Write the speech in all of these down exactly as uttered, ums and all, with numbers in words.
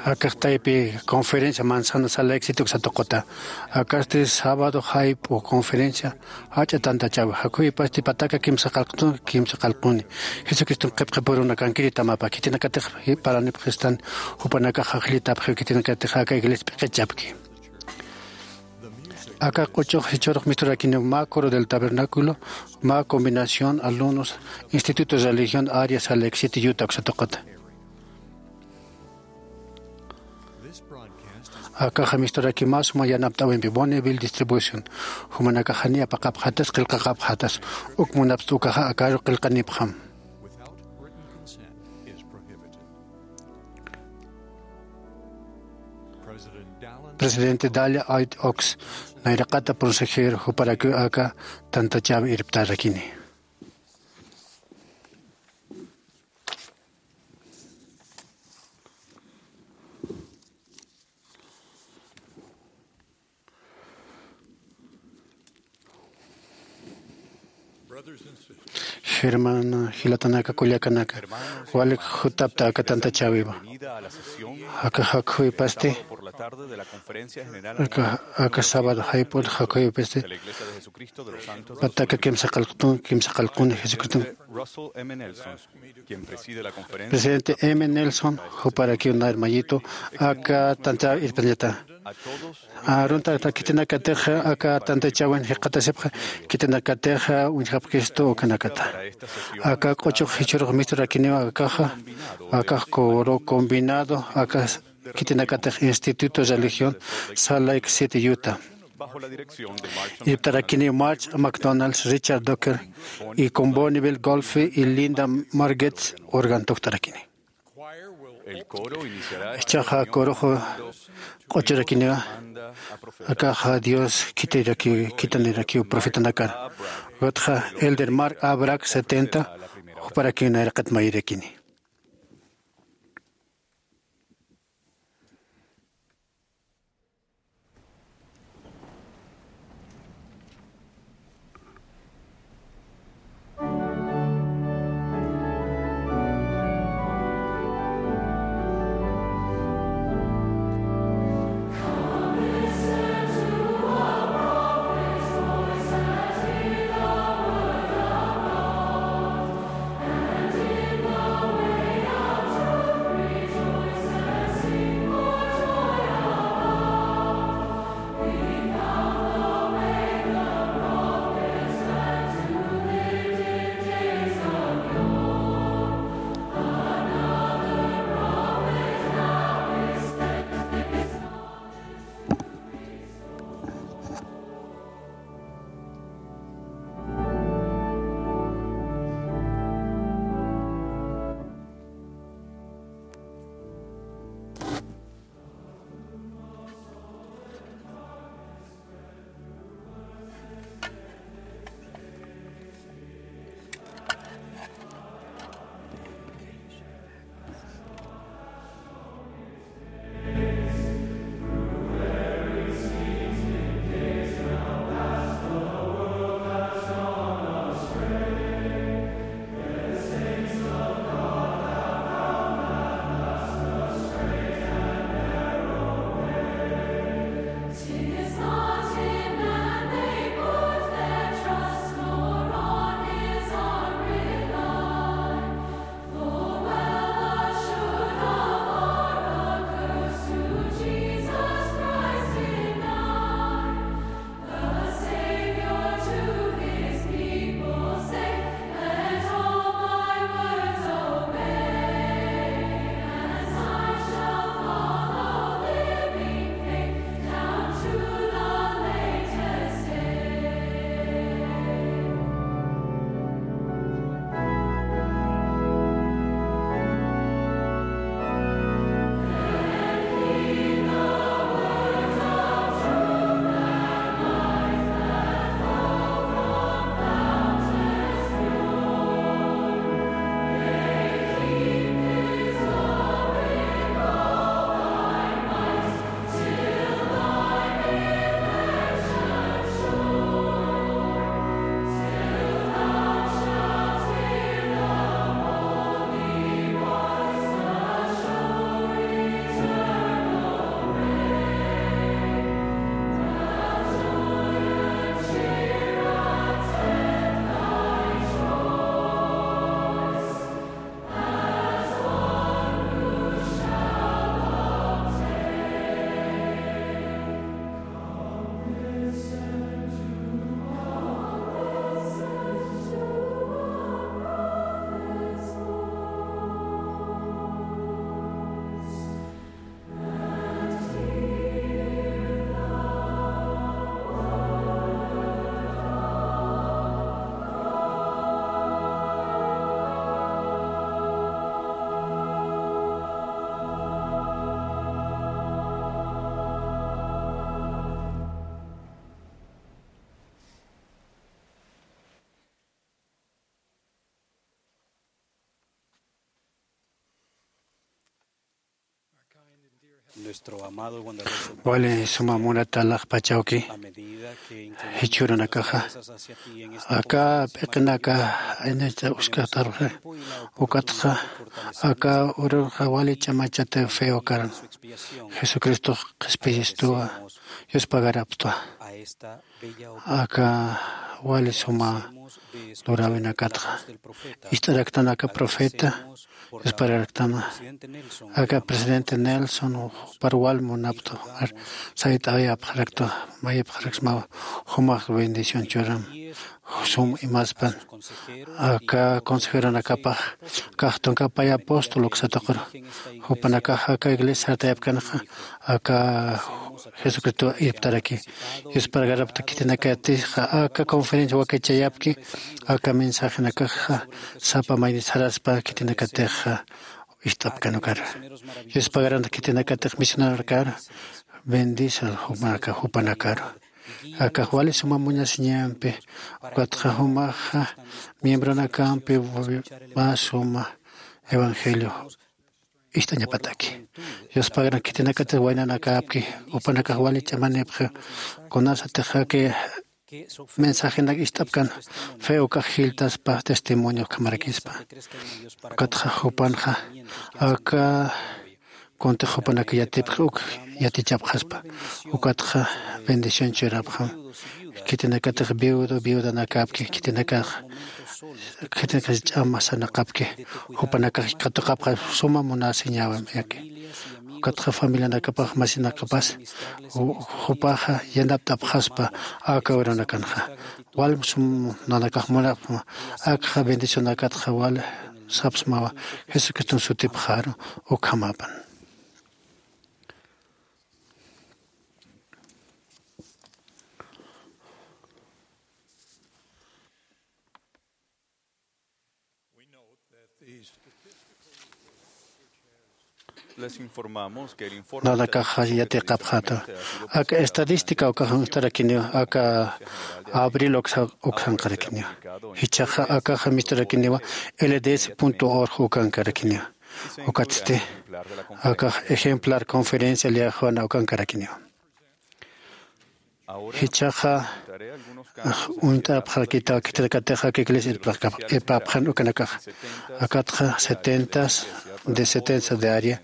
Akax taypi conferencia manzana sala éxito uksa tuquta. Akasti sábado jayp'u conferencia jach'a tantachäwi. Jakhuy pasti pataka kimsa qallqtun, kimsa qallquni. Jesucriston qhipqipurunakankiri tamapa. Khitinakatix paranipxistan jupanakax ajllitapxiw khitinakatix aka iglesia p'iqichapki. Aka q'uchux jichhürux misturakiniw mä coro del tabernáculo, mä combinación alumnos, Instituto de Religión, área Salt Lake City, Utah uksa tuquta. Akaxa misturaki mä suma yanapt'äwimpi Bonneville Distribution, jumanakax janiw apaqapxätas, qillqaqapxätas, uk munapxta ukaxa akaru qillqanipxam. Presidente Dallin H. Oaks, nayraqata consejero, juparakiw aka tantachäwi irptarakini. Germana jilatanaka, kullakanaka, walik jutapta aka tantachäwiwa. Aka jakhuy pasti, aka, aka sábado jayp'un jakhuy pasti, pataka kimsa qallqtun, kimsa qallquni Jesucriston. Presidente M. Nelson, juparakiw nayr mayitu, aka tantachäwi irptañata. Arunta khitinakatix aka tantachäwin jikxatasipxi, khitinakatix uñjapxistu ukanakata. Aka q'uchux jichhürux misturakiniw akaxa, akax coro combinado, aka khitinakatix Instituto de Religión, Salt Lake City, Utah. Irptarakiniw March McDonald, Richard Docker, y con Bonneville Golfe y Linda Margetts organ tuktarakini. Jichhaxa corux q'uchurakiniwa, akaxa Dios khitiraki, khitanirakiw profetanakar. Ukatxa Elder Mark A. Brack setenta, juparakiw nayraqat mayirakini. Wali suma munatalax pachawki. Jichhürunakaxa aka p'iqinaka aynachta uskxatarxa, ukatxa aka urunxa wali ch'amachata feokaran. Jesucristox qhispiyistuwa, yuspagaraptwa. Aka wali suma luräwinakatxa ist'araktan aka profeta, yuspararaktana. Aka presidente Nelson jupar wal munaptu, sayt'ayapxaraktu, mayipxaraksmawa, jumax bendición churam, sum imaspan. Aka consejeronakapax kaxtunkapay apóstol uksataqur, jupanakax aka iglesia sartayapkanxa aka Jesucristo irptaraki. Yuspargarapta khitinakatixa aka conferencia wakichayapki, aka mensajenakaxa sapa mayni saraspa khitinakatixa ist'apkanukar. Yuspagaranta khitinakatix misionarkar bendisa jumanaka jupanakaru. Akax wali suma muñasiñampi, ukatxa jumaxa miembronakampi mä suma evangelio ist'añapataki. Yuspagarant khitinakatix waynanakapki, jupanakax wali ch'amanipxi, kunasatix aka mensajenak ist'apkan fe ukax jilltaspa testimonio ukhamarakispa. Ukatxa jupanxa aka kuntix jupanak yatipxi uk yatichapxaspa. Ukatxa bendición churapxam. Khitinakatix viudo viudanakapki, khitinakax khitinakax ch'amasanakapki, jupanakax katuqapxa suma munasiñäwam yaki. Ukatxa familianakapax masinakapas jupaxa yanapt'apxaspa aka urunakanxa. Wal sum nanakax munapxma, akxa bendicionakatxa wal sapsmawa, Jesucriston sutipxaru ukhamapan. Nanakaxa yatiqapxata. Aka estadística ukax uñstarakiniw, aka abril uksa uksanqarakiniw. Jichhaxa akaxa misturakiniwa L D S punto org ukankarakiniw. Ukatsti akax ejemplar conferencia liaxwana ukankarakiniw. Jichhaxa uñt'apxarakita khitinakatix aka iglesia irpapxan ukanakaxa. Akatxa setentas de setentas de área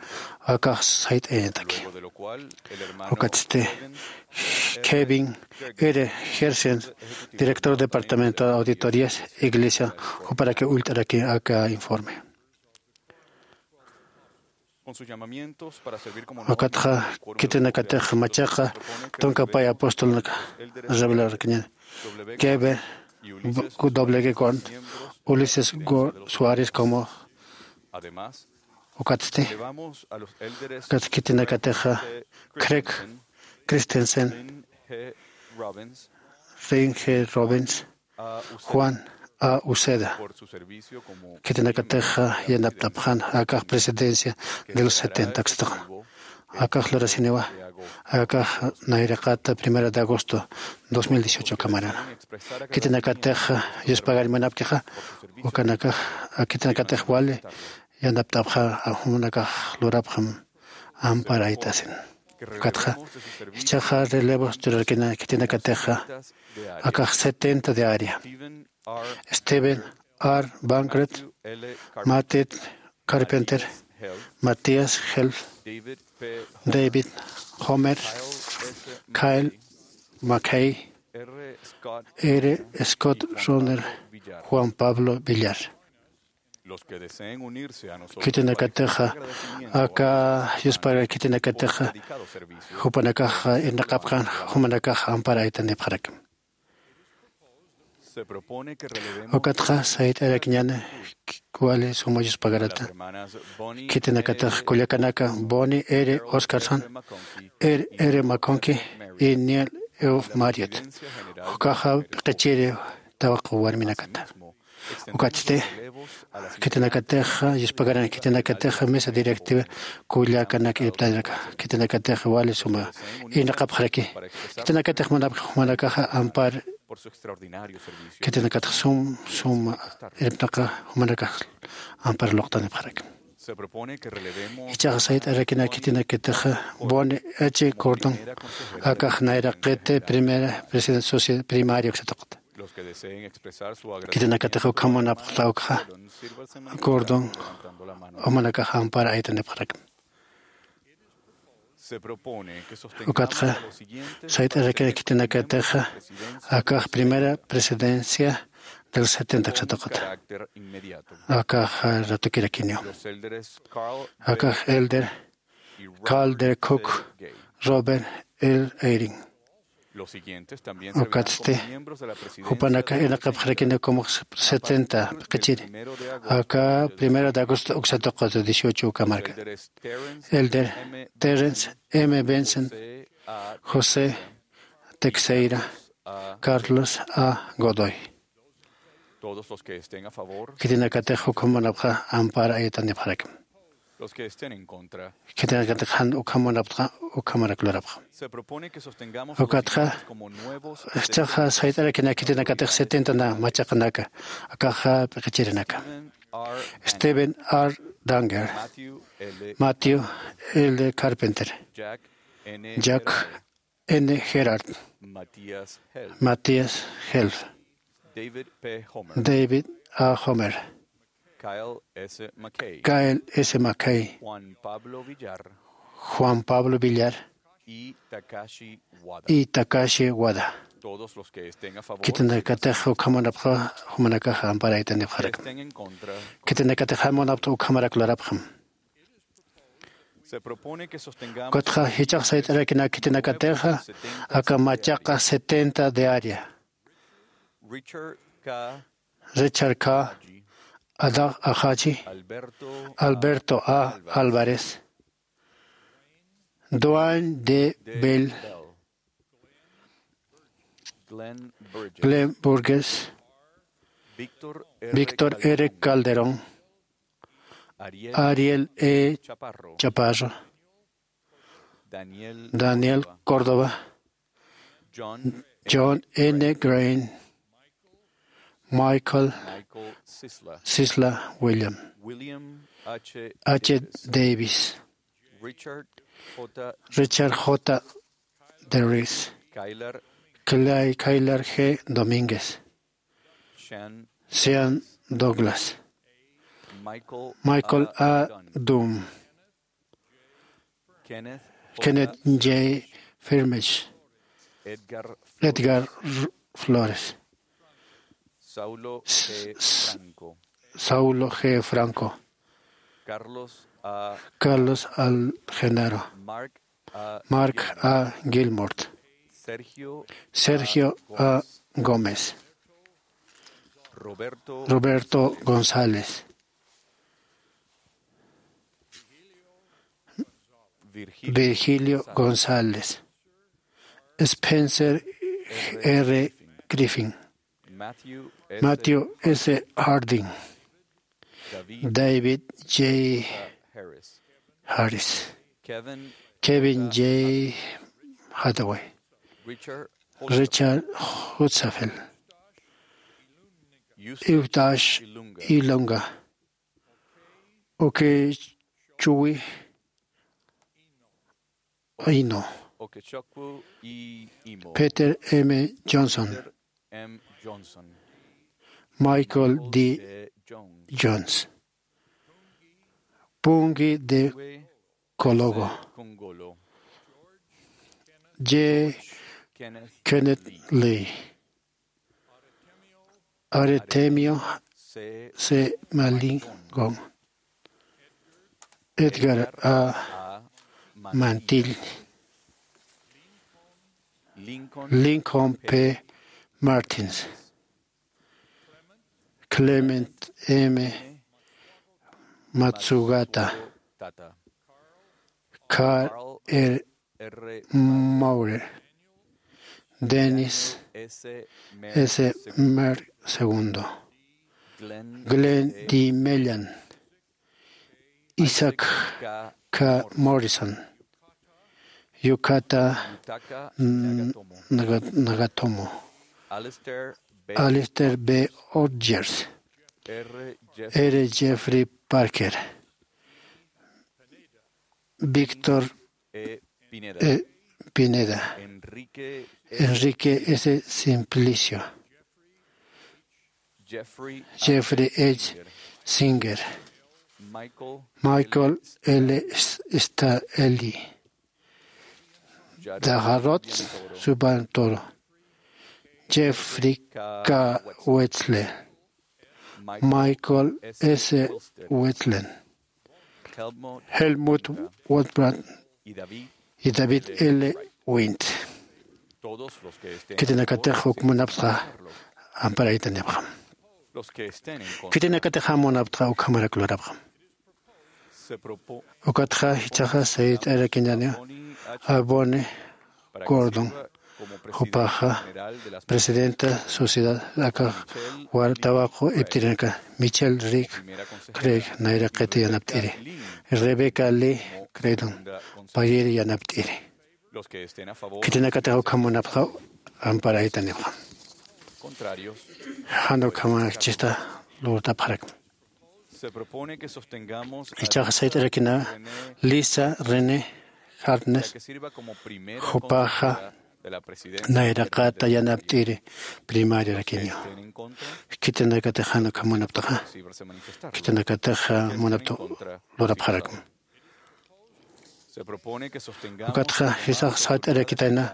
akax sayt'ayañataki. Ukatsti Kevin R. Gersen, director departamental auditorías iglesia, juparaki ullt'araki aka informe. Ukatxa khitinakatix machaqa tunka pay apostolnak revelarkiñan. Kebe W. Gordon, Ulises Go- Suárez como. Ukatsti ukat khitinakatixa Craig Christensen, Rein G. Robbins, Juan A. Uceda. Khitinakatixa yanapt'apxan akax presidencia de los setenta uksataqan. Akax lurasiniwa akax nayraqata primero de agosto dos mil dieciocho ukhamarana. Khitinakatixa yuspagar munapkixa ukanakax khitinakatix wali yanapt'apxa, jumanakax lurapxam amparaytasin. Ukatxa jichhaxa relevos churarkina khitinakatixa akax setenta de área. Steven R. Bankert, Matthew Carpenter, Matthias Helf, David Homer, Kyle McKay, R. Scott Rohner, Juan Pablo Villar. Khitinakatixa aka yuspagar khitinakatixa jupanakax irnaqapxan, jumanakax amparaytanipxarakim. Ukatxa sayt'arakiñan wali suma yuspagarata. Khitinakatix kullakanaka Bonnie R. Oscarson, R. R. McConkie y Neil F. Marriott. Ukaxa p'iqichiri tawaq warminakata. Ukatsti khitinakatixa yuspagaran khitinakatixa mesa directiva kullakanak irptanaka khitinakatixa wali suma irnaqapxaraki. Khitinakatix munapxi jumanakaxa ampar khitinakatix sum suma irptaqa jumanakax ampar luqtanipxaraki. Ichaxa sayt'arakinak khitinakatixa Bonnie H. Gordon, akax nayraqiti primera presidente socio primaria uksatuqta. Khitinakatixa ukhamunapxta ukxa Gordon, umanakax ampar aytanipxarakma. Ukatxa sayt'arakinak khitinakatixa akax primera presidencia del setenta uksatuqta. Akax ratukirakiniw. Akax elder Carl D. Cook, Robert L. Eyring. Ukatsti jupanaka irnaqapxarakini como setenta p'iqichiri. Aka primero de agosto uksatuqta dieciocho uka marka. Elder Terrence M. Benson, José Teixeira, Carlos A. Godoy. Khitinakatix ukhamunapxa ampar aytanipxarakma. Khitinakatix jan ukhamunapxta ukhamarak lurapxam. Ukatxa ichaxa sayt'arakinak khitinakatix setenta na machaqanaka, akaxa p'iqichirinaka. Stephen R. Danger, Matthew L. Carpenter, Jack N. Gerard, Matthias Helf, David A. Homer, Kyle S. McKay, Juan Pablo Villar y Takashi Wada. Khitinakatix ukhamunapxa jumanakax ampar aytanipxarakma. Khitinakatix jan munapxta ukhamarak lurapxam. Ukatxa jichhax sayt'arakinak khitinakatixa aka machaqa setenta de área. Richard K. Adax Ajachi, Alberto A. Álvarez, Duane D. Bell, Glenn Burgess, Víctor R. Calderón, Ariel E. Chaparro, Daniel Córdoba, John N. Green, Michael Sisla, William H. Davis, Richard J. Derris, Kyler G. Domínguez, Sean Douglas, Michael A. Dunn, Kenneth J. Firmich, Edgar Flores, Saulo G. Franco, Carlos A. Genaro, Mark A. Gilmort, Sergio A. Gómez, Roberto González, Virgilio González, Spencer R. Griffin, Matthew S. Harding, David J. Harris, Kevin J. Hathaway, Richard Hutzafeld, Eustace Ilunga, Okechukwu Ino, Peter M. Johnson, Michael D. Jones, Pungi de Kologo, J. Kenneth Lee, Artemio C. Malingon, Edgar A. Mantil, Lincoln P. Martins, Clement M. Matsugata, Carl R. Maurer, Dennis S. Merck segundo, Glenn D. Mellon, Isaac K. Morrison, Yukata Nagatomo, Alistair B. Rogers, R. Jeffrey Parker, Víctor E. Pineda, Enrique S. Simplicio, Jeffrey H. Singer, Michael L. Staeli, Dajarot Subantoro, Jeffrey K. Wetzler, Michael S. Wetland, Helmut Waldbrand y David L. Wint. Khitinakatix uk munaptxa amparaytanipxam. Khitinakatix jan munaptxa ukhamarak lurapxam. Ukatxa jichhaxa sayt'arakiñäniw a Bonnie Gordon, jupaxa presidenta sociedad akax tawaqu iptirinaka, Michelle Rick Craig nayraqit yanapt'iri, Rebecca Lee Craydon payir yanapt'iri. Khitinakatix ukham munapxaw amparaytanipxam. Jan ukhamäkchista lurtapxarakma. Jichhaxa sayt'arakina Lisa René Hartness, jupaxa nayraqata yanapt'iri primariarakiniw. Khitinakatix jan ukham munaptaxa, khitinakatix munapta lurapxarakma. Ukatxa jisax sayt'arakitayna,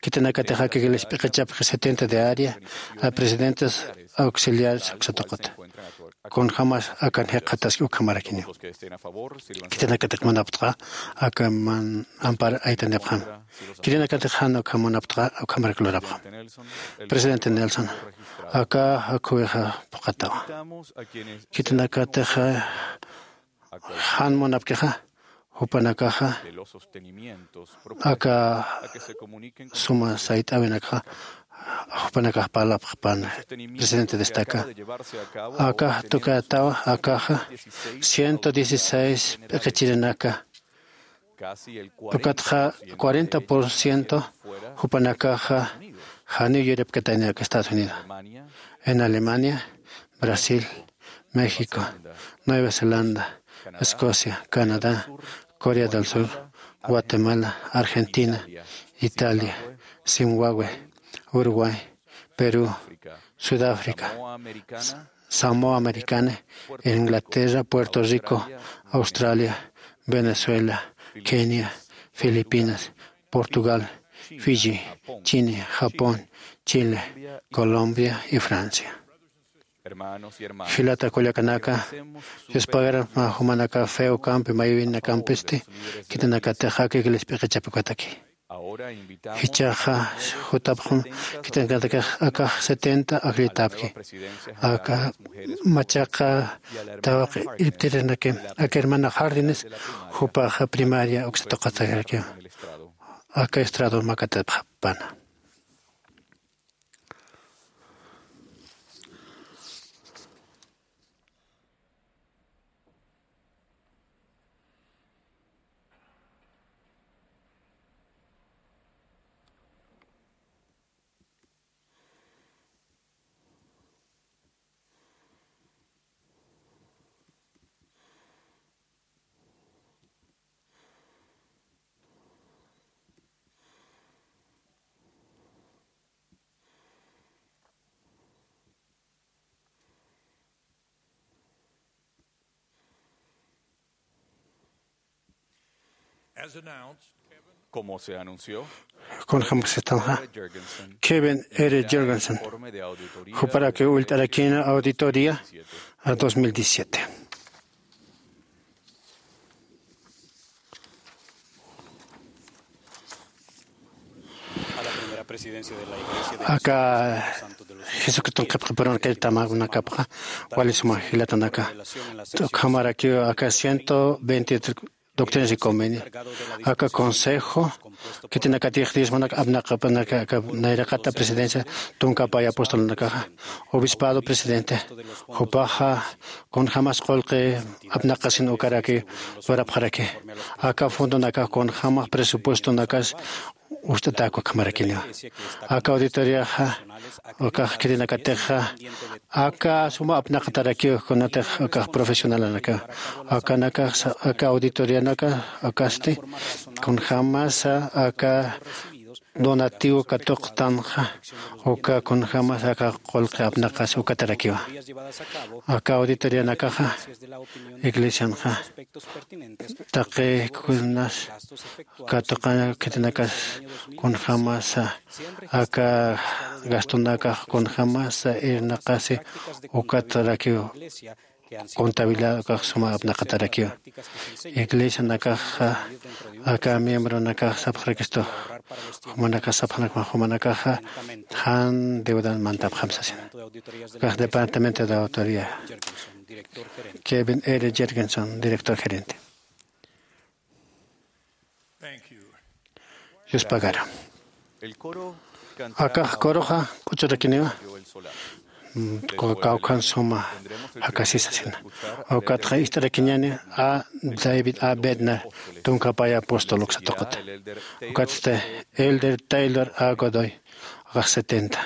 khitinakatix aka iglesia p'iqichapxi setenta de área, a presidentes auxiliares uksatuqata. Kunjämas akan jikxataski ukhamarakiniw. Khitinakatix munaptxa aka man ampar aytanipxam. Khitinakatix jan ukham munaptxa ukhamarak lurapxam. Presidente Nelson, aka akhuwixa phuqatawa. Khitinakatix jan munapkixa, jupanakaxa aka suma sayt'äwinakxa jupanakax parlapxpan, presidente destaca. Akax tukätawa, akaxa ciento dieciséis p'iqichirinaka. Ukatxa cuarenta por ciento jupanakaxa janiw yuripkataynaka Estados Unidos, en Alemania, Brasil, México, Nueva Zelanda, Escocia, Canadá, Corea del Sur, Guatemala, Argentina, Italia, Zimbabue, Uruguay, Perú, Sudáfrica, Samoa Americana, Inglaterra, Puerto Rico, Australia, Venezuela, Kenia, Filipinas, Portugal, Fiji, China, Japón, Chile, Colombia y Francia. Jilata kullakanaka, Dios pagarapxma jumanaka fe ukampi, maywinakampisti khitinakatix aka iglesia p'iqichapxi ukataki. Jichhaxa jutapxam khitinakatix akax setenta ajllitapki. Aka machaqa tawaq iptirinaki, aka hermana Jardines, jupaxa primaria uksatuqatakiraki. Aka estrado makatipxapana. As announced, Como se anunció, kunjämasitanxa, Kevin R. Jorgensen, juparakiw ullt'arakïna auditoría a dos mil diecisiete. Aka Jesucriston qhipqipurunakir tamakunakapxa wali suma jilatanaka. Ukhamarakiw aka ciento veinte doctrinas y convenios, aka consejo khitinakatix diezmonak apnaqapanaka, aka nayraqata presidencia tunkapay apostolunakaxa, obispado presidente, jupaxa kunjämas qullqi apnaqasin ukaraki lurapxaraki. Aka fondonakax kunjämax presupuestonakas ust'atäk ukhamaraki. Aka auditoriaxa, ukax khitinakatixa, aka suma apnaqatarakiw, kunatix ukax profesionalanakaw. Akanakax, aka auditorianaka, ukasti, kunjämasa aka donativo katuqtanxa, uka kunjämasa aka qullqi apnaqas ukatarakiwa. Aka auditorianakaxa, iglesianxa, taqi kunas katuqaña khitinakas kunjämasa, aka gastonakax kunjämasa irnaqasi ukatarakiw, contabilidad ukax suma apnaqatarakiw. Iglesianakaxa, aka miembronakax sapxarakistu, jumanakax sapxanak, jumanakaxa jan deudan mantapxam sasina. Ukax Departamento de Autoría. Kevin R. Jergenson, director gerente. Yuspagara. Akax coroxa q'uchurakiniwa, mm, kawkhan suma jakasisasina. Ukatxa ist'arakiñäni a David A. Bednar, tunka pay apóstol uksa tuquta. Ukatsti Elder Taylor A. Godoy, akax setenta.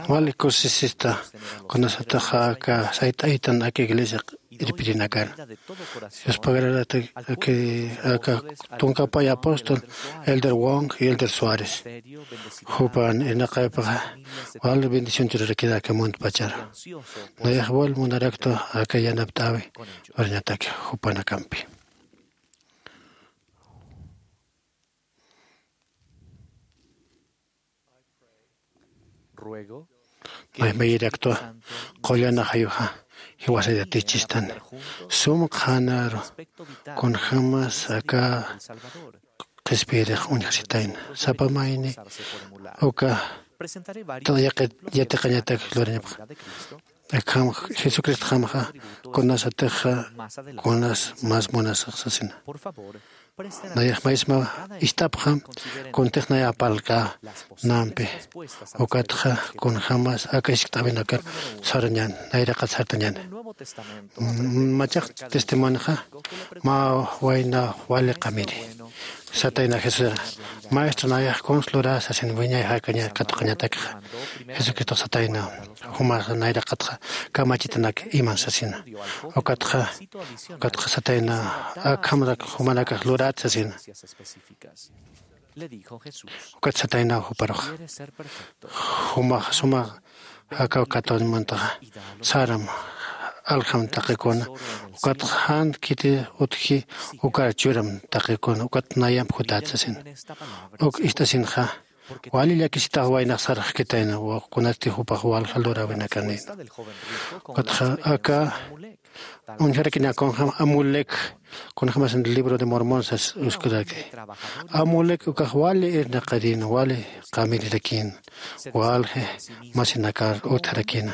Wali kusisista kunasataxa aka sayt'aytan aka iglesia irpirinakar. Yuspagararata aka tunkapay apóstol Elder Wong y Elder Suárez. Jupan irnaqaypaxa wali bendición churarakira aka muntpachara. Nayax wal munaraktu aka yanapt'awi urañataki jupanakampi. Maymayiraktwa qullana jayuxa jiwasayatichistani. Sum qhanaru kunjämas aka qhispiyirix uñjasitayna sapa mayni uka yatiqañatak lurañapxa. Akham jesucristxamxa kunasatixa kunas mas munasax sasina. Nayax maysma ist'apxam kuntix naya apalkänampi. Ukatxa kunjämas aka jiskt'äwinakar sarañän nayraqat sartañäni. Machaq testimonioxa mä wayna wali qamiri satayna jesusar, maestro nayax kuns lurä sasin wiñay jakaña katuqañatakxa. Jesucristox satayna jumax nayraqatxa kamachitanak iman sasina. Ukatxa ukatxa satayna akhamrak jumanakax lurat sasina. Ukat satayna juparux jumax sumax jakaw katuñmantaxa saram aljam taqikuna. Ukatxa jan khiti utji ukar churam taqikuna ukat nayamp jutat sasina. Uk ist'asinxa wali llakisitax waynax sarxkitayna kunasti jupax walja luräwinakanïna. Ukatxa aka uñjarakina kunjäm amulek kunjämasin libro de mormon sas uskuraki. Amulek ukax wali irnaqarin wali qamirirakïn walji masinakar utjarakïna.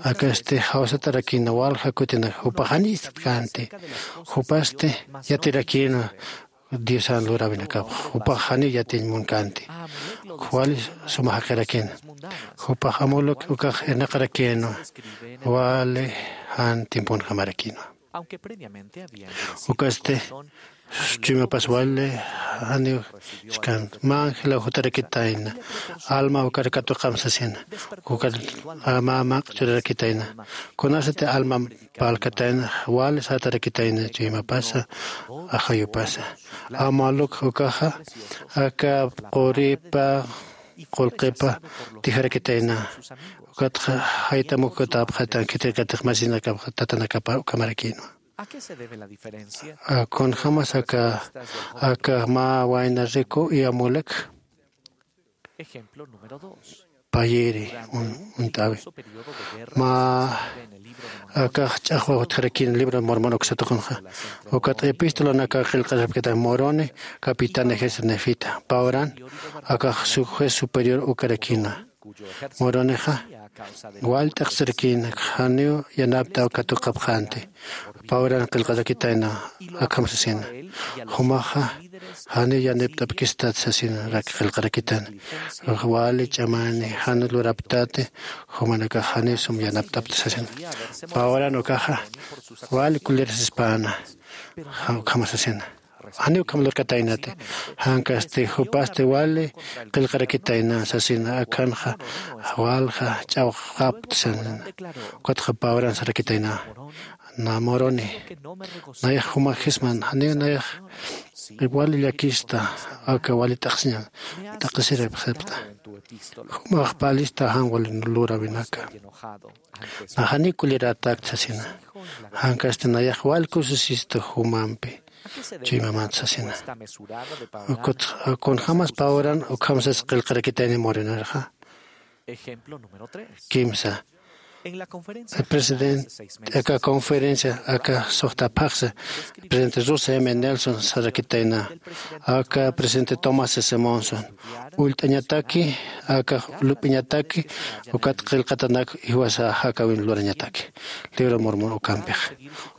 Akasti jawsatarakïna walja kutinak jupax jani ist'känti. Jupasti yatirakïna diosan luräwinakapx jupax janiw yatiñ munkänti. Wali suma jaqirakïna jupax amuluk ukax irnaqarakïnwa wali jan timpunjamarakïnwa. Ukasti chuymapas wali janiw skanti mä angelaw jutarakitayna alma ukar katuqam sasina. Ukar mä maq'a churarakitayna kunasati alma parlkatayna wali satarakitayna chuymapasa ajayupasa. Amaluk ukaxa aka quripa qullqipa tijarakitayna. Ukatxa jaytamukutapxatan khitirkatix masinakapxa tatanakapa ukamarakïnwa. Kunjämas aka aka mä wayna riku y amulek payiri uñt'äwi mä akax ch'axwa utjarakïn libro de mormon uksatuqunxa. Ukat epistolanaka qillqarapkita moroni capitán ejército nefita pawran akax juez superior ukarakïna. Moronixa wal t'aqsirakïna janiw yanapt'aw katuqapxänti. Pawran qillqarakitayna akham sasina jumaxa janiw yanipt'apkistat sasinarak qillqarakitayna. Wali ch'amani jan luraptati jumanakax janiw sum yanapt'apta sasina. Pawran ukaxa wali kulirasispäna ukhama sasina. Janiw ukham lurkataynati jankasti jupasti wali qillqarakitayna sasina akhanxa walja ch'awxapta sasina. Ukatxa pawran sarakitayna na moroni nayax juma jisman janiw nayax wali llakista aka wali t'aqsiña t'aqsirapxipxta. Jumax palista jan wali luräwinaka na janiw kullirätakta sasina. Jankasti nayax wal kusisista jumampi chuymamat sasina. Kunjämas pawran ukham sas qillqarakitayni morinarxa. Kimsa presidente aka conferencia aka suxta phaxsa presidente rusa m nelson sarakitayna aka presidente tomás s monson ullt'añataki aka lup'iñataki ukat qillqatanak iwasa jakawin lurañataki libro mormon ukampix.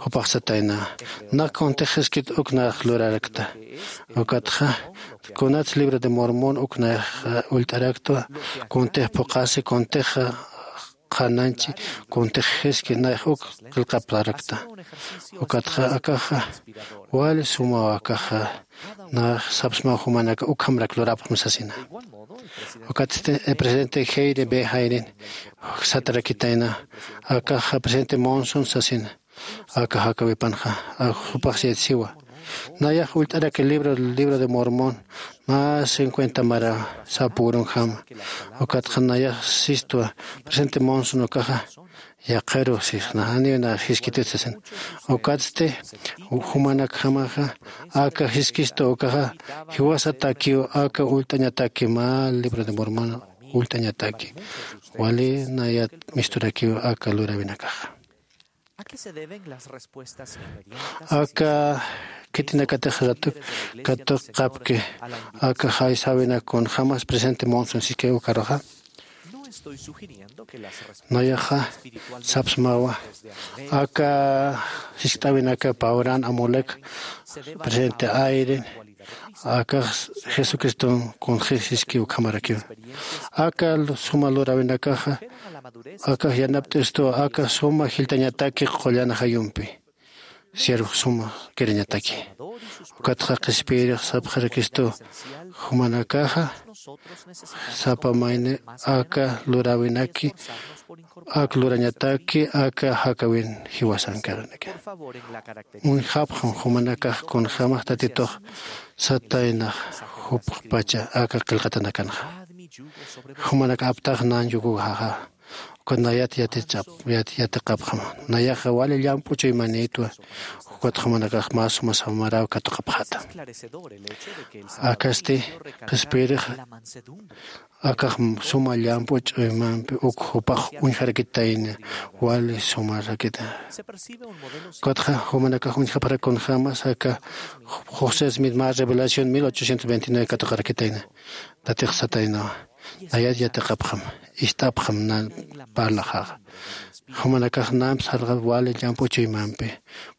Jupax satayna nak kuntix jiskit uknax lurarakta. Ukatxa kunats libro de mormon uknax ullt'araktwa kuntix phuqasi kuntix qhananchi kuntix jiski nayax uk qillqaptarakta. Ukatxa akaxa wali sumaw akaxa nayax sapsmaw jumanaka ukhamrak lurapxam sasina. Ukatsti presidente Heire b jairin satarakitayna akaxa presidente Monson sasina. Aka jakawipanxa jupax siyat siwa nayax ullt'araki libro libro de mormón mä cincuenta mara sapürunjama. Ukatxa nayax sistwa presidente Monson ukaxa yaqiru sisna janiw na jiskitut sasin. Ukatsti jumanakjamaxa aka jiskistu ukaxa jiwasatakiw aka ullt'añataki mä libro de mormón ullt'añataki wali nayat misturakiw aka luräwinakaxa. Aka khitinakatix ratu katuqapki aka jaysäwinak kunjämas presidente Monson siskaw ukaruxa nayaxa sapsmawa aka jiskt'äwinaka pawran amulek presidente airin akax jesucriston kunxi jiski ukhamarakiw. Aka suma luräwinakaxa akax yanapt'istuwa aka suma jilltañataki qullan ajayumpi siervo suma kirañataki. Ukatxa qhispiyirix sapxarakistu jumanakaxa sapa mayni aka luräwinaki ak lurañataki aka jakawin jiwasankaranaki. Uñjapxam jumanakax kunjämax tatitux sataynax jupxpacha aka qillqatanakanxa jumanak aptax nan yukujaxa. Ukat nayat yatichap yatiqapxam nayaxa wali llamp'u chuymanïtwa. Ukat jumanakax mä suma samaraw katuqapxata. Akasti qhispiyirix akax suma llamp'u ch'uymampi uk jupax uñjarakitayna wali sumarakita. Ukatxa jumanakax uñjapxarak kunjämas aka josé smith mä revelación mil ochocientos veintinueve katuqarakitayna. Tatix sataynawa nayat yatiqapxam ist'apxam nan parlaxaxa. Jumanakax namp sarxap wali llamp'u chuymampi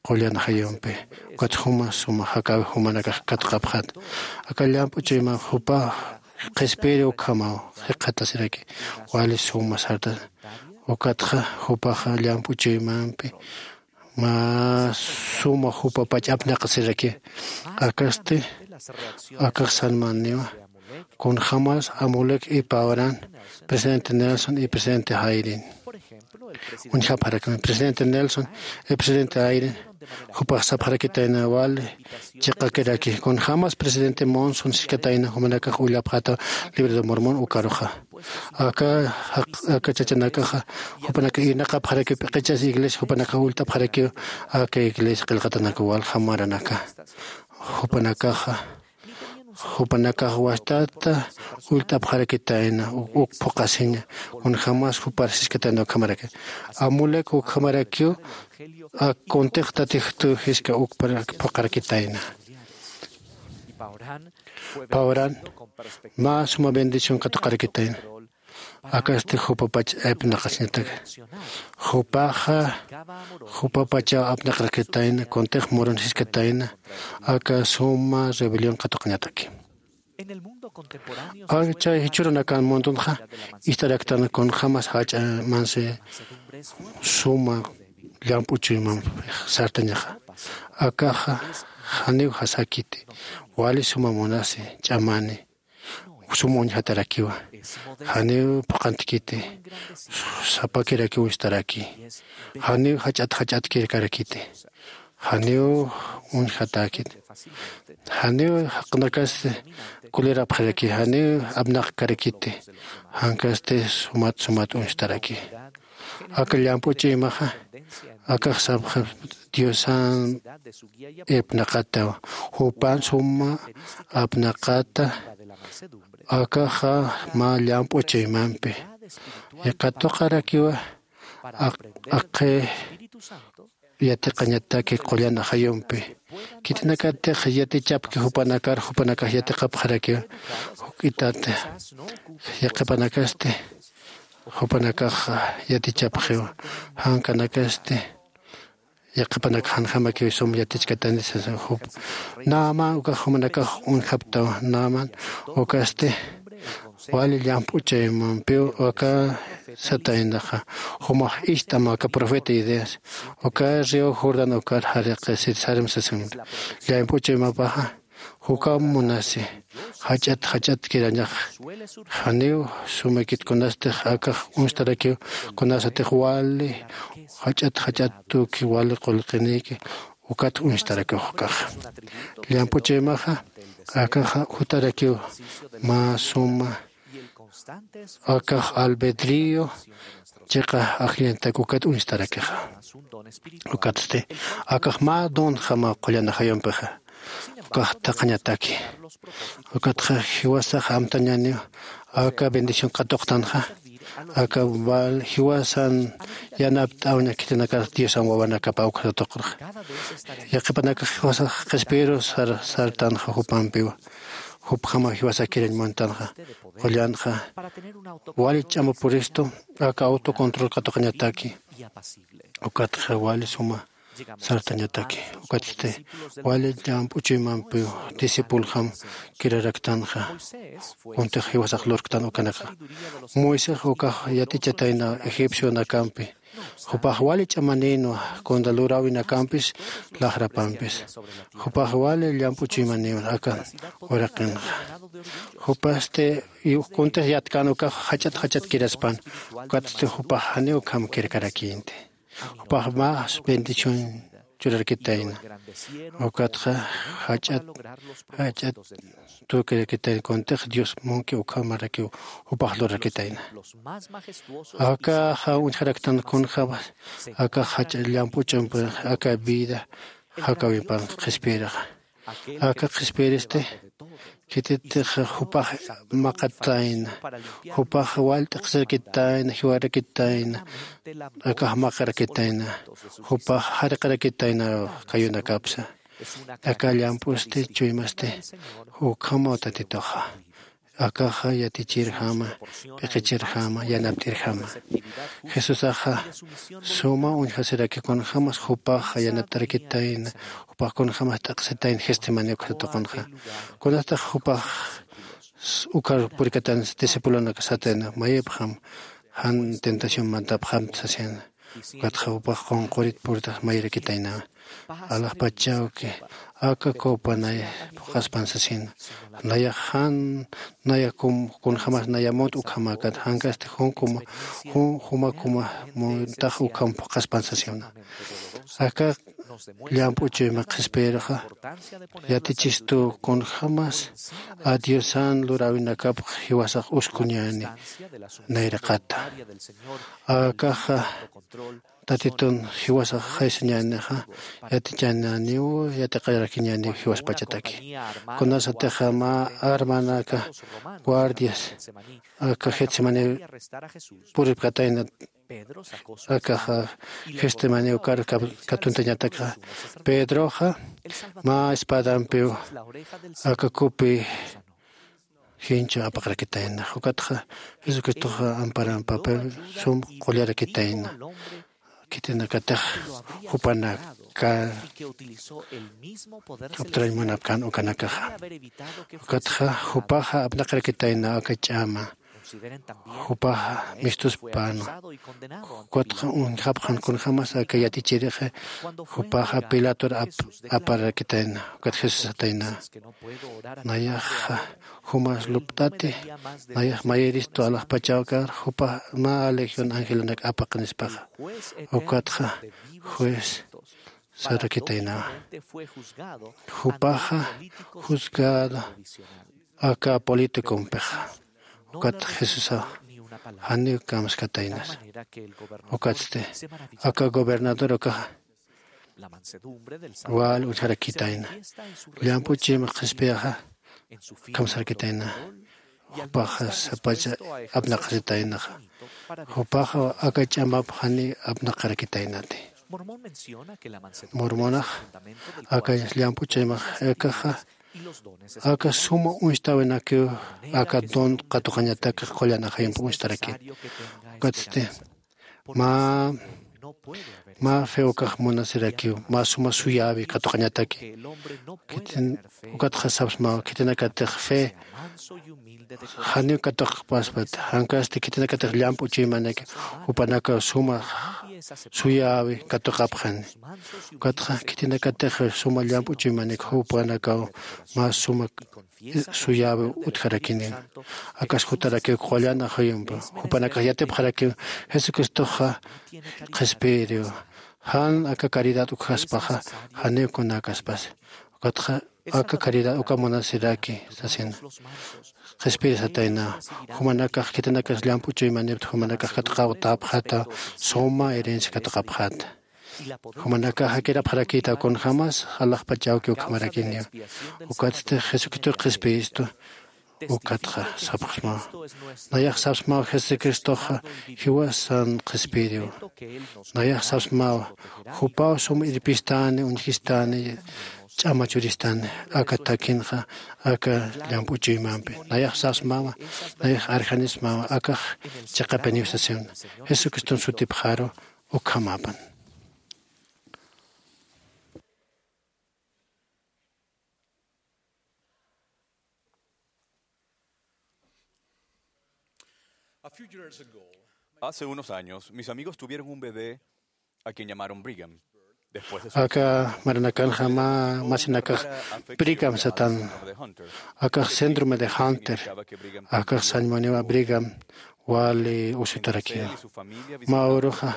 qullan ajayumpi ukat juma suma jakäwi jumanakax katuqapxat. Aka llamp'u chuymamp jupa qhispiyiri ukhamaw jikxatasiraki wali suma sarta. Ukatxa jupaxa llamp'u chuymampi mä suma jupapach apnaqasiraki. Akasti akax sanmaniwa kunjämas amulek ipawran presidente nelson y presidente jairin. Uñjapxarakmi presidente nelson y presidente jairin jupax sapxarakitayna wali chiqakiraki kunjämas presidente monson siskatayna jumanakax ullapxata libro de mormón ukaruxa. Aka aka chachanakaxa jupanaka irnaqapxarakiw p'iqichas iglesia jupanakax ullt'apxarakiw aka iglesia qillqatanaka waljamaranaka. Jupanakaxa jupanakax wastata ullt'apxarakitayna uk phuqasiña. Kunjämas jupar siskatayna ukhamaraki amulek ukhamarakiw ak kuntix tatijtu jiska ukpar phuqarakitayna. Pawran mä suma bendición katuqarakitayna. Akasti jupapach apnaqasiñataki jupaxa jupapachaw apnaqarakitayna kuntix murun jiskatayna aka suma rebelión katuqañataki. Chay jichhürunakan mundunxa ist'araktan kunjämas jach'a mansi suma llamp'u chuymampi sartañaxa. Akaxa janiw jasakiti wali suma munasi ch'amani sum uñjatarakiwa. Janiw phuqhantkiti sapakirakiw uñstaraki. Janiw jach'at jach'atkirkarakiti. Janiw uñjatäkiti. Janiw jaqnakasti kulirapxiraki janiw apnaqkarakiti. Jankasti sumat sumat uñstaraki. Aka llamp'u ch'uymaxa akax sapxi diosan ipnaqataw jupan suma apnaqata. Akaxa mä llamp'u chuymampi katuqarakiwa. Aqhi yatiqañataki qullan ajayumpi khitinakatix yatichapki jupanakar jupanakax yatiqapxarakiw. Juk'itat yaqhipanakasti jupanakax yatichapxiw. Jankanakasti yaqhipanakax janjamakiw sum yatichkatani sasa jup naman ukax jumanakax uñjaptaw. Naman ukasti wali llamp'u chaymampiw aka sataynaxa. Jumax ist'am aka profeta Isaías uka río Jordán ukar jariqi sitsarm sasimri. Llamp'u chuymapaxa jukam munasi jach'at jach'atkirañax. Janiw sumakit kunastix akax uñstarakiw kunasatix wali jach'at jach'at tuki wali qullqiniki ukat uñstarakiw jukaxa. Llamp'u chuymaxa akaxa jutarakiw mä suma akax albedrío chiqa ajllantak ukat uñstarakixa. Ukatsti akax mä donjama qullan ajayumpixa ukax thaqhañataki. Ukatxa jiwasax amtañäniw aka bendición katuqtanxa aka val jiwasan yanapt'awña khitinakar diosan wawanakapa ukxatuqrxa. Yaqhipanakax jiwasax qhispiru sartanxa jupampiwa. Jupjama jiwasakirañ muntanxa qullanxa wali ch'ama puristu aka autocontrol katuqañataki. Ukatxa wali suma sartañataki. Ukatsti wali llamp'u chuymampiw discipuljam kiraraktanxa. Kuntix jiwasax lurktan ukanaka moisés ukax yat'ichatayna egipcionakampi. Jupax wali ch'amanïnwa kunta luräwinakampis laxrapampis. Jupax wali llamp'u chuymanïwan aka uraqinxa. Jupasti kuntix yatkän ukax jach'at jach'at kiraspan. Ukatsti jupax janiw ukham kirkarakïnti. Jupax más bendición churarkitayna. Ukatxa jach'at jach'at tukirakitayna kuntix dios munki ukhamarakiw jupax lurarkitayna. Akaxa uñjaraktan kunjämas akax jach'a llamp'u ch'umpir aka vida jakawimpan qhispiyiraxa. Aka qhispiyiristi khititix jupax maqatayna. Jupax wal t'aqsirakitayna jiwarakitayna akax maqarakitayna. Jupax jariqarakitayna kayunakapsa. Aka llamp'usti chuymasti ukhamaw tatituxa. Akaxa yatichirjama p'iqichirjama yanapt'irjama. Jesusaxa suma uñjasiraki kunjämas jupaxa yanapt'arakitayna. Jupax kunjämas t'aqsitayna getsemaní uksa tuqunxa. Kunastax jupax ukhar purikatan discipulonaka satayna mayipxam jan tentación mantapxamta sasina. Ukatxa jupax qunqurit puritax mayirakitaynawa. Alaxpachawki aka copa nay phuqhaspan sasina. Nayax jan naya kunjämas naya munt ukhamäkat jankasti jun kuma jun juma kuma muntax ukham phuqhaspan sasina. Aka llamp'u chuyma qhispiyirixa yatichistu kunjämas a diosan luräwinakapx jiwasax uskuñäni nayraqata. Akaxa tatitun jiwasax jaysañänixa yatichäniw yatiqarakiñäniw jiwaspachataki. Kunasatixa mä armanaka guardias aka getsemaní puripkatayna. Akaxa getsemaní ukar katuntañataka pedroxa mä espadampiw aka kupi jinchu apaqarakitayna. Ukatxa jesucristoxa amparan papel sum qullarakitayna. Khitinakatix jupanaka aptrañ munapkän ukanakaxa. Ukatxa jupaxa apnaqarakitayna aka ch'ama jupaxa mistuspänwa. Ukatxa uñjapxan kunjämas aka yatichirixi jupaxa pilator aparakitayna. Ukat jesús satayna nayaxa jumas lupt'ati nayax mayiristu alaxpachawkar jupax mä legión angelanak apaqinispaxa. Ukatxa juez sarakitaynawa. Jupaxa juzgado aka politikompixa. Ukat jesusax janiw kamskataynasa. Ukatsti aka gobernador ukaxa wal uñjarakitayna. Llamp'u chuyma qhispiyaxa kamsarakitayna. Jupaxa sapacha apnaqasitaynaxa. Jupaxa aka ch'amap jani apnaqarakitaynati. Mormonax aka llamp'u chuymax ekaxa aka suma uñstawinakiw aka don qatuqañatak qullan ajayump uñstarakit. Ukatsti mä Mä fe ukax munasirakiw mä suma suyäwi katuqañataki. Khitin ukatxa sapsmaw khitinakatix fe janiw katuqapaspat, jankasti khitinakatix llamp'u chuymanik jupanakaw suma suyäwi katuqapxani. Ukatxa khitinakatix suma llamp'u chuymanik jupanakaw mä suma suyäwi utjarakini. Akas jutarakiw qullan ajuyumpi jupanakax yatipxarakiw jesucristoxa qhispiyiriw. Jan aka caridad ukjaspaxa janiw kunäkaspasi. Ukatxa aka caridad uka munasiraki sasina. Qhispirisatayna jumanakax khitinakas llamp'u chuymanipta jumanakax katuqawtapxata suma herencia katuqapxata. Jumanakax jakirapxarakïta kunjämas alaxpachawkiw ukhamarakiniw. Ukatsti jesucristox qhispiyistu. Ukatxa sapxsmaw nayax sapsmaw jesucristoxa jiwasan qhispiyiriw. Nayax sapsmaw jupaw sum irpistani uñjistani ch'ama churistani aka takinxa aka llamp'u chuymampi. Nayax sapsmawa nayax arjanismawa akax chiqapiniw sasiwna. Jesucriston sutipxaru ukhamapan. Hace unos años, mis amigos tuvieron un bebé a quien llamaron Brigham. Después de su... Aka maranakanxa mä masinakax Brigham satan. Akax síndrome de Hunter. Akax sañmuniwa Brigham wali usutarakiwa. Mä uruxa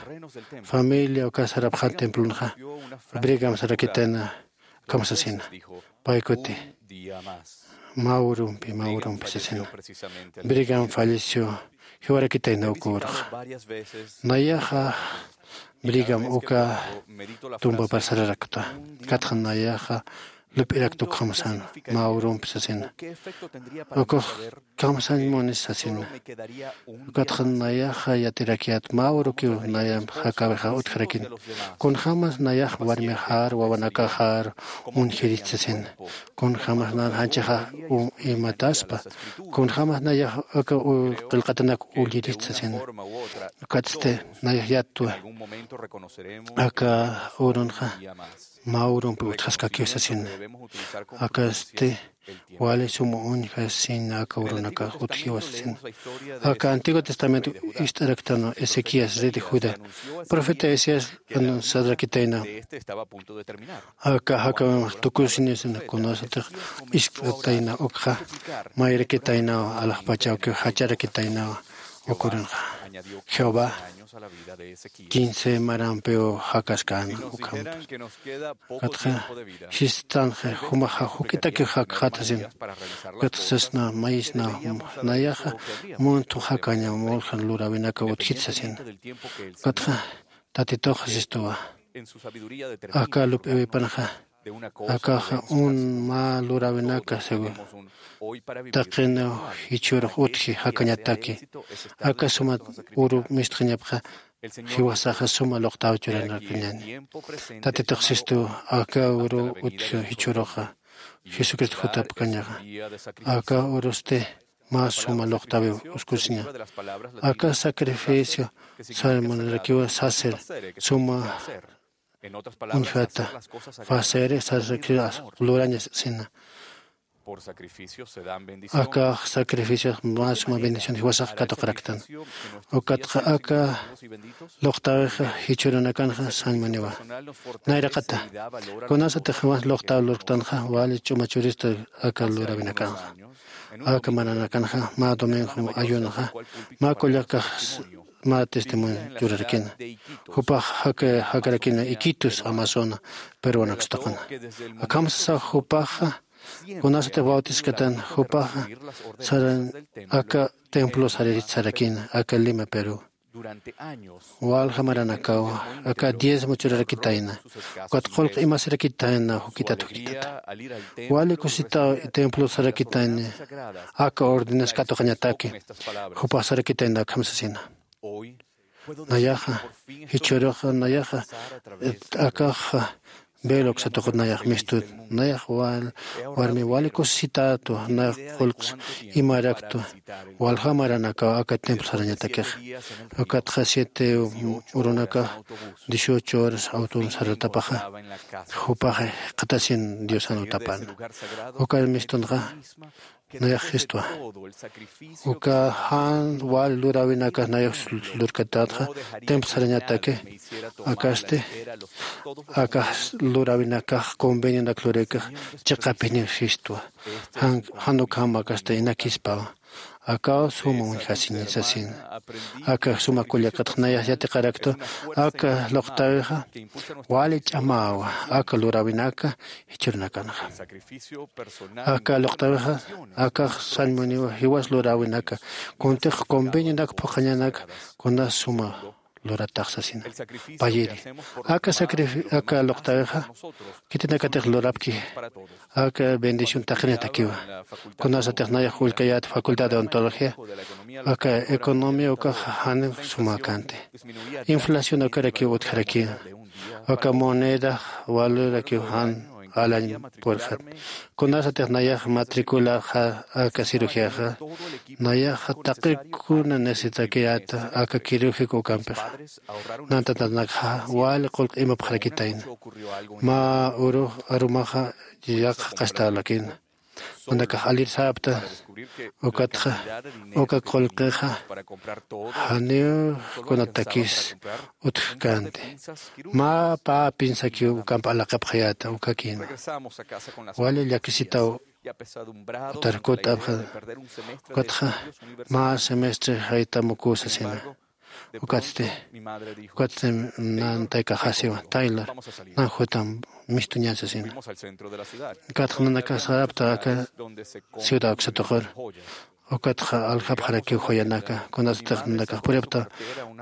familia uka sarapxan templonxa Brigham sarakitayna kamsasina. Paykuti mä urumpi mä urumpi sasina. Brigham falleció. Jiwarakitayna uka uruxa. Nayaxa Brigham uka tumbapar sararakta. Katxa nayaxa lup'irakta ukxam sän mä urumpi sasina. Ukux kamsañ munis sasina. Ukatxa nayaxa yatirakiyät mä urukiw nayamp jakäwixa utjarakin. Kunjämas nayax warmixar wawanakaxar uñjirist sasina. Kunjämas nan janchixa imataspa. Kunjämas nayax aka qillqatanak ullirist sasina. Ukatsti nayax yatwa aka urunxa mä urumpi utjaskakiw sasina. Akasti wali suma uñjasina aka urunakax utjiwa sasina. Aka antiguo testamento ist'araktanwa ezequías rey de judá profeta isaías anunciarakitayna. Aka jakawimx tukusinisina kunasatix iskt'atayna ukxa mayrakitaynawa alaxpachawkiw jacharakitaynawa. Ukurunxa jehová quince marampiw jakaskäna ukhampa. Katxa jistanxa jumaxa juk'itakiw jakxatasina. Katxa sasna mayisna nayaxa munthu jakaña muljan luräwinakaw utjit sasina. Katxa tatitux sistuwa aka lup'iwipanxa akaxa un mä luräwinaka seguro taqiniw jichhürux utji jakañataki. Aka suma uru mistxañapxa jiwasaxa suma luqtaw churanakañani. Tatitux sistu aka uru utji jichhüruxa jesucristo jutapkañaxa aka urusti mä suma luqtawiw uskusiña. Aka sacrificio sarmunarakiwa sacer suma uñjata facere sacrificio luraña sina. Akax sacrificiox mä suma bendición jiwasax katuqaraktan. Ukatxa aka luqtawixa jichhürunakanxa sañmuniwa. Nayraqata kunasatix jiwas luqtaw lurktanxa wali ch'uma churista aka luräwinakanxa. Aka maranakanxa mä domingo ayunaxa mä kullakax mä testimonio churarakina. Jupax jakarakina iquitos amazona peruanakstaqana. Akhamasasaw jupaxa kunasatix bautiskatan jupaxa saran aka templo saririt sarakina aka lima perú. Walja maranakaw aka diezmo churarakitayna ukat qullq imasirakitayna jukitat jukitata. Wali kusitaw templo sarakitayna aka ordenas katuqañataki. Jupax sarakitayna akham sasina. Nayaxa jichhüruxa nayaxa akaxa Velo uksatuqut nayax mistut, nayax wal warmi wali kusisitätwa, nayax qullqs imaraktwa, waljamaranakaw aka templo sarañatakixa. Ukatxa siete urunakax dieciocho horas auton saratapaxa, jupaxa jikxatasin diosan utapana. Uka mistunxa nayax jistwa. Uka jan wal luräwinakax nayax lurkatätxa templo sarañataki, akasti aka luräwinakax convenionak lurïkix chiqapiniw jistwa. Jan ukham akasti inakispawa. Akaw suma uñjasiñi sasina. Aka suma kullakatx nayax yatiqaraktwa aka luqtäwixa wali ch'amäwa aka luräwinaka jichhürunakanxa. Aka luqtäwixa akax sañ muniwa jiwas luräwinaka kuntix convenionak phuqhañanaka kunas suma luratax sasina. Payiri aka sacrifi aka luqtäwixa khitinakatix lurapki aka bendición taqinatakiwa. Kunasatix nayax ullkayät facultad de ontología aka economía ukax jan sumäkänti. Inflación ukarakiw utjarakiwa. Aka moneda valorarakiw jan alañ purxat. Kunasatix nayax matriculaxa aka cirugiaxa nayaxa taqi kuna necesitakiyäta aka quirúgico ukampixa. Nantatanakxa wali qullq imapxarakitayna. Mä urux arumaxa yaqha qastawlakina. Nanakax alirsapta ukatxa uka qullqixa janiw kunatakis utjkänti. Mä pä pinsakiw ukamp alaqapxayäta ukakïna. Wali llakisitaw utarkut apxa. Ukatxa mä semestre jaytamuku sasina. Ukatsti ukatsti nantaykaxasiwa taylor nan jutam mistuñan sasina. Ukatxa nanakax sarapta aka ciudad uksatuqur. Ukatxa aljapxarakiw joyanaka kunasatix nanakax puripta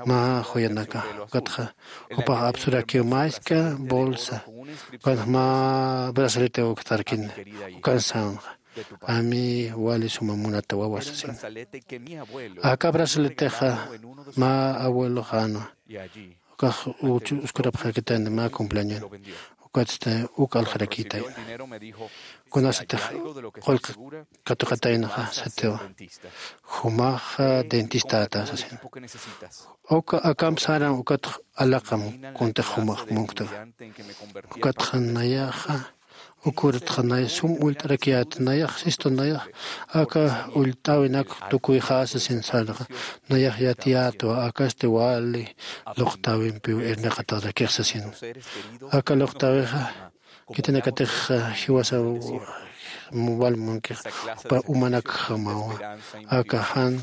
mä joyanaka. Ukatxa jupax apsurakiw mä iska bolsa ukatxa mä bracelete uktarkina. Ukan sänxa ami wali suma munata wawa sasina. Aka brazaletexa mä abueloxänwa. Ukax uskurapxarakitayna mä cumpleañon. Ukatsti uk aljarakïtayna. Kunasatix qullq katuqataynaxa satiwa. Jumaxa dentistäta sasina. Uka akamp saran ukatx alaqam kuntix jumax munkta. Ukatxa nayaxa ukurtxa nay sum ullt'arakiyät nayax sistu nayax aka ullt'äwinak tukuyxäsa sin sarxa. Nayax yatiyätwa akasti wali luqtäwimpiw irnaqatarakix sasin. Aka luqtäwixa khitinakatix jiwasa wal munkix jupa umanakjamawa. Aka jan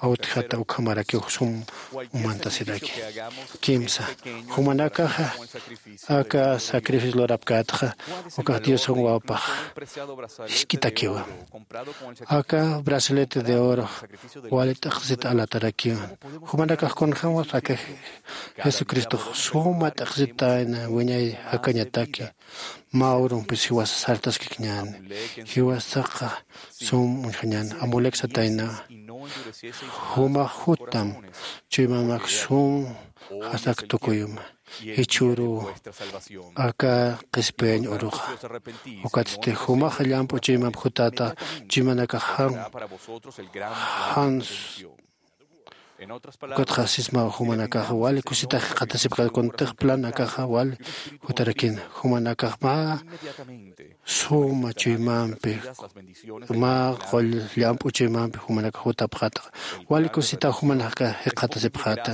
awtjata ukhamarakiw sum umantasiraki. Kimsa jumanakaxa aka sacrificio lurapkätxa ukax diosan wawapax jisk'itakiwa. Aka brazalete de oro wali t'aqsit alatarakiwa. Jumanakax kunjämas aka jesucristox suma t'aqsitayna wiñay jakañataki. Mä urumpis jiwasa sartaskikñäni. Jiwasaxa sum uñjañäni amulek satayna. Jumax jutam chuymamak sum jasak tukuyuma jichhüruw aka qhispiyañ uruxa. Ukatsti jumaxa llamp'u chuymamp jutäta chuymanakax jan jan ukatxa sismaw jumanakaxa wali kusitax jikxatasipxäta kuntix plan akaxa wali jutarakina. Jumanakax mä suma chuymampi mä qull llamp'u chuymampi jumanakax jutapxäta. Wali kusitaw jumanakax jikxatasipxäta.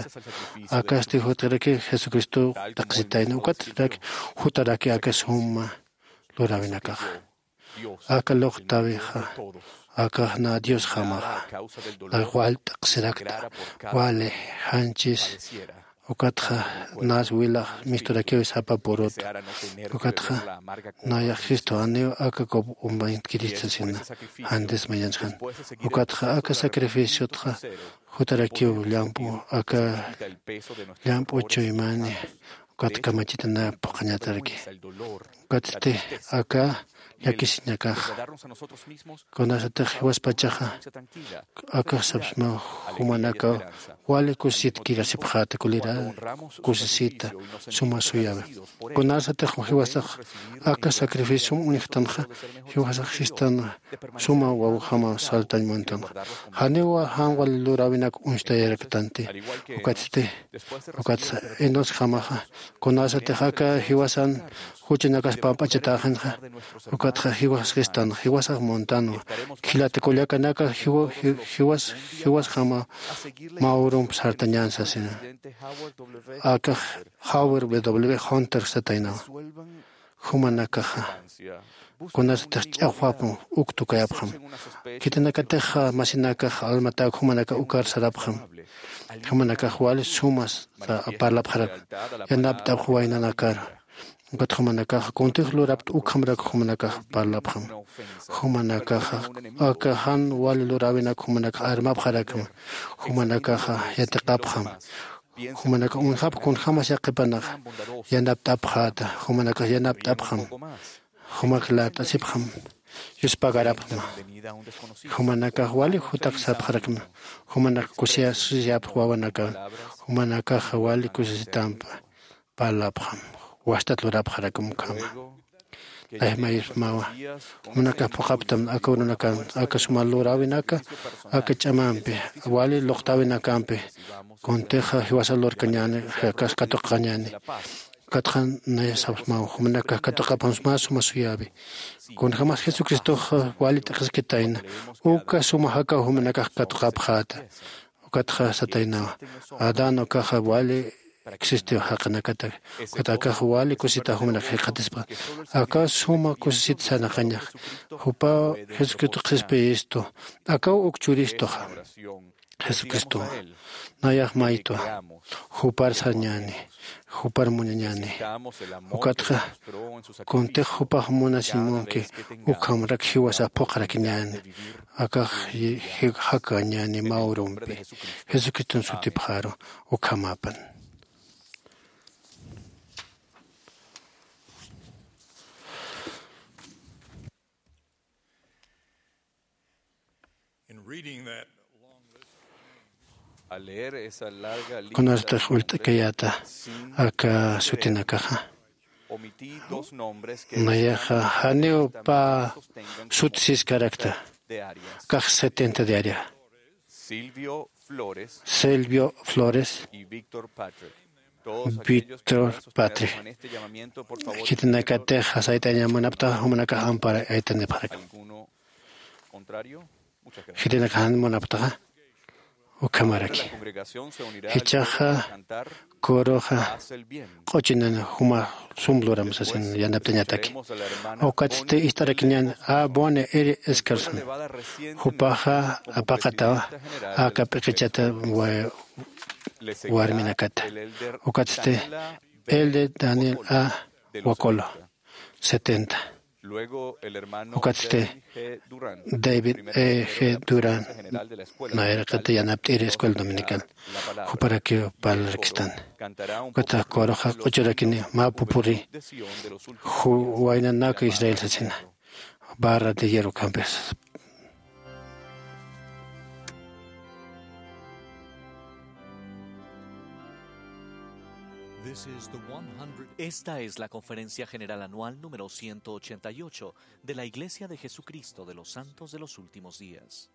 Akasti jutaraki jesucristo t'aqsitayna ukatarak jutaraki aka suma luräwinakaxa. Aka luqtäwixa akax nä diosjamaxa. Nax wal t'aqsirakta wali janchis ukatxa nas wilax misturakiw sapa purut. Ukatxa nayax jistu janiw aka kup umbañtkirista sina jantis mayansjan. Ukatxa aka sacrificiotxa jutarakiw llamp'u aka llamp'u chuymani ukat kamachitana phuqhañataraki. Ukatsti aka llakisiñakax. Kunasatix jiwaspachaxa akax sapsma jumanakaw wali kusisit kirasipxäta kulira kusisita suma suyawi. Kunasatix jiwasax aka sacrificiom uñjtanxa jiwasax sistan suma wawjama saltañ muntanxa. Janiw jan wali luräwinak uñstayaraktanti. Ukatsti ukatsa inusjamaxa kunasatix aka jiwasan juchanakas pamp'achatäxinxa. Ukatxa jiwasaxistan jiwasax muntanwa. Jilata kullakanaka jiwa- ji- jiwas jiwasjama mä urump sartañän sasina. Akax Howard W hunter sataynawa. Jumanakaxa kunasatix ch'axwapxam uk tukayapxam. Khitinakatix masinakax almatäk jumanakax ukar sarapxam. Jumanakax wali sumas parlapxarak yanapt'apx waynanakar. Ukat jumanakax kuntix lurapta ukhamrak jumanakax parlapxam. Jumanakaxa aka jan wali luräwinak jumanakax armapxarakma. Jumanakaxa yatiqapxam. Jumanakax uñjapx kunjämas yaqhipanaxa yanapt'apxäta. Jumanakax yanapt'apxam. Jumak lart'asipxam. Yuspagarapxma. Jumanakax wali jutak sapxarakma. Jumanakax kusiyasiyapx wawanakan. Jumanakaxa wali kusisitampa parlapxam. Wastat lurapxarakma ukhama. Layjmayismawa. Jumanakax phuqhaptam aka urunakan aka suma luräwinaka aka ch'amampi wali luqtäwinakampi kuntixa jiwasa lurkañäni. Akas katuqañäni. Ukatxa naya sapsmaw jumanakax katuqapxam mä suma suyäwi. Kunjämas jesucristoxa wali t'aqhiskitayna uka suma jakaw jumanakax katuqapxäta. Ukatxa sataynawa adán ukaxa wali existiw jaqinakata. Ukat akax wali kusita jumanak jikxatispa. Aka suma kusisit sarnaqañax jupaw jesucristo qhispiyistu. Akaw uk churistuxa jesucristowa. Nayax maytwa jupar sarñäni. Jupar munañäni. Ukatxa kuntix jupax munasiñ munki ukhamrak jiwasa phuqharakiñäni. Akax jakañäni mä urumpi jesucriston sutipxaru. Ukhamapan. In reading that long list, al leer esa larga lista, kunartix ullt'kayäta aka sutinakaxa. Omití dos nombres que nayaxa janiw pä sut siskarakta. Kax setenta de área. Silvio Flores, Silvio Flores y Víctor Patrick. Víctor Patrick. Khitinakatix sayt'aña munapta jumanakax ampara aytanipxarak. Khitinakax jan munaptaxa ukhamaraki. Jichhaxa coroxa q'uchinan juma sum luram sasin yanaptañataki. Ukatsti ist'arakiñan a bone eri escarson. Jupaxa apaqatawa aka p'iqichata warminakata. Ukatsti el de daniel a wakolo setenta. Ukatsti david e g duran nayraqata yanapt'iri escuela dominical. Juparakiw parlarakistan. Ukatax coroxa q'uchurakini mä pupuri juwaynanaka israel sasina. Barra de hierro campes. Esta es la Conferencia General Anual número ciento ochenta y ocho de la Iglesia de Jesucristo de los Santos de los Últimos Días.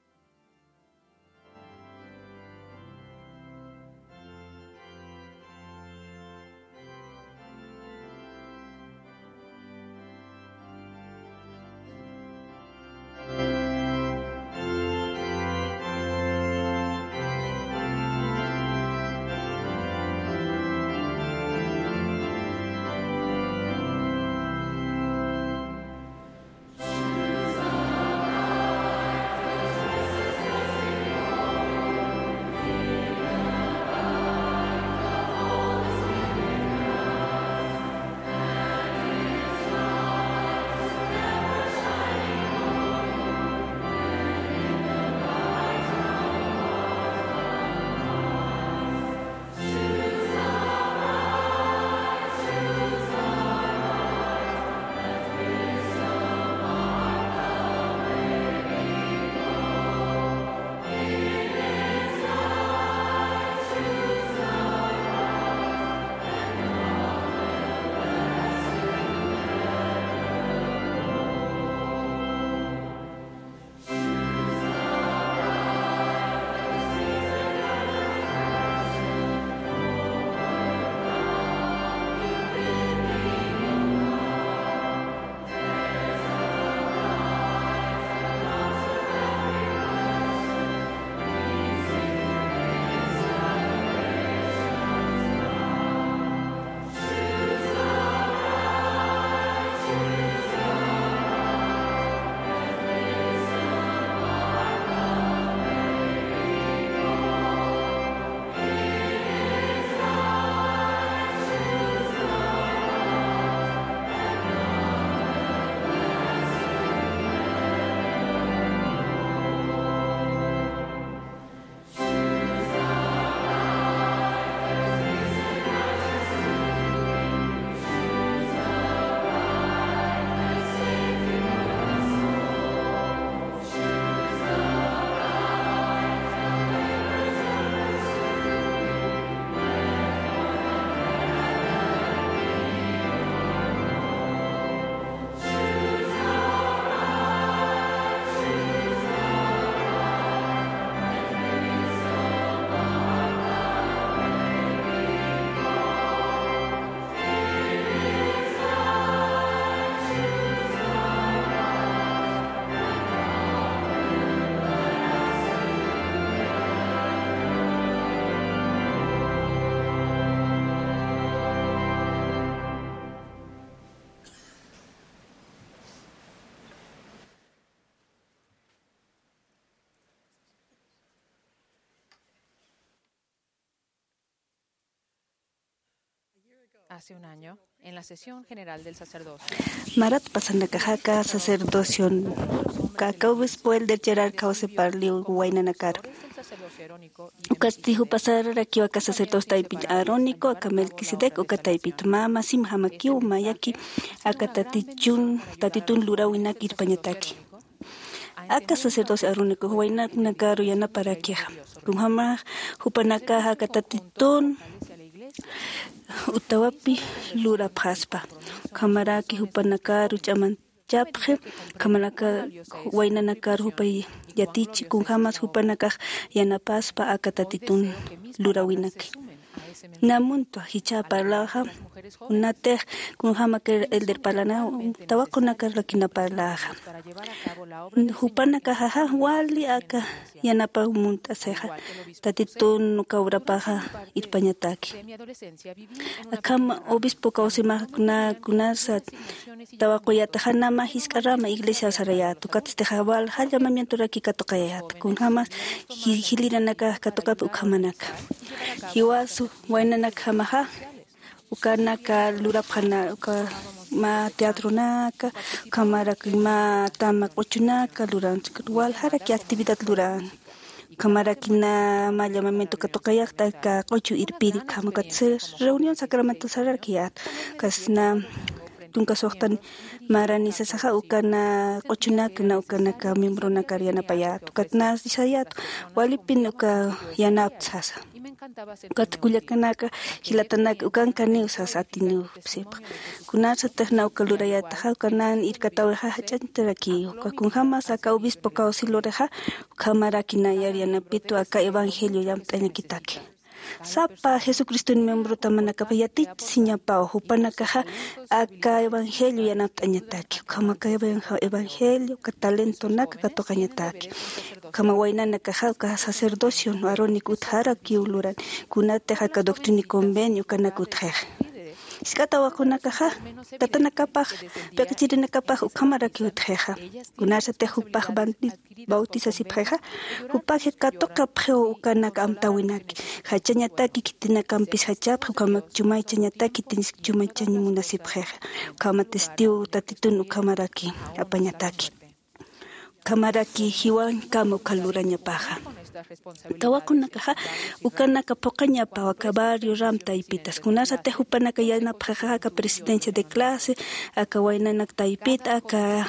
Hace un año, en la sesión general del sacerdocio, marat pasanakaxa aka sacerdocio, aka obispo elder Gerard Krause parliw waynanakar. Ukasti jupasararakiw aka sacerdocio taypit Aarónico, aka Melquisedec, uka taypit mama sim jamakiw mayaki aka tatichun, tatitun lurawinaki irpañataki. Aka sacerdocio Aarónico waynanakaru yanaparakixa. Kunjama jupanakaxa aka tatitun utawapi lurapxaspa. Ukhamaraki jupanakaru ch'aman chapxi, ukhamaraki waynanakar jupay yatichi, kunjamas jupanakax yanapaspa aka tatitun lurawinaki. Namuntwa jichha parlaxa, kunatix kunjamak elder parlana, tawaqunakar rakina parlaxa. Jupanakaxaxa wali aka yanapaw munt'asixa, tatitun uka urapaxa irpañataki. Akham obispo kawsimax kuna, kunarsa tawaquyataxa, nama jisk'arama iglesia sarayäta, ukatstixa walja llamamientoraki katuqayäta, kunjamas ji-, jiliranakax katuqapi ukhamanaka. Jiwas waynanakjamaxa ukanaka lurapxana, uka mä teatronaka, ukhamaraki mä tama q'uchunaka luran, waljaraki actividad luran. Ukhamaraki na mä llamamiento katuqayäta aka q'uchu irpiri, ukhama ukatsti reunión sacramental sararakiyäta, ukatsti na tunka suxtan marani sasaxa, uka na q'uchunaka na ukanaka miembronakar yanapayäta, ukat na sayäta walipin uka yanapta sasa. Ukat kullakanaka, jilatanaka, ukankaniw sasa atiniw sipxa. Kunarsatix na uka lurayätaxa, uka nan irkatawixa jach'añtaraki, uka kunjamas aka obispo kawsi lurixa, ukhamaraki nayar yanapitwa aka evangelio llamt'añakitaki. Sapa Jesucriston miembrotamanakapa yatichisiñapaw, jupanakaxa aka evangelio yanapt'añataki, ukhama aka evan-, evangelio, uka talentonaka katuqañataki. Ukhama waynanakaxa uka sacerdocio Aarónico utjarakiw luran, kunatix aka doctrina y convenio ukanak utjixa. Jisk'a tawaqunakaxa tatanakapax, piq'ichirinakapax ukhamarakiw utjixa. Kunarsatix jupax bauti-, bautizasipxixa, jupax katuqapxiw ukanak amtäwinaki. Jachañataki khitinakampis jachapxi, ukhamak chumaychañataki, khitinsi chumaychañ munasipxixa. Ukhama testigo tatitun ukhamaraki apañataki. Ukhamaraki jiwankama uka lurañapaxa. Tawaqunakaxa ukanaka phuqañapaw aka barrio ram taypitas. Kunarsatix jupanaka yanapxixa aka presidencia de clase, aka waynanak taypita, aka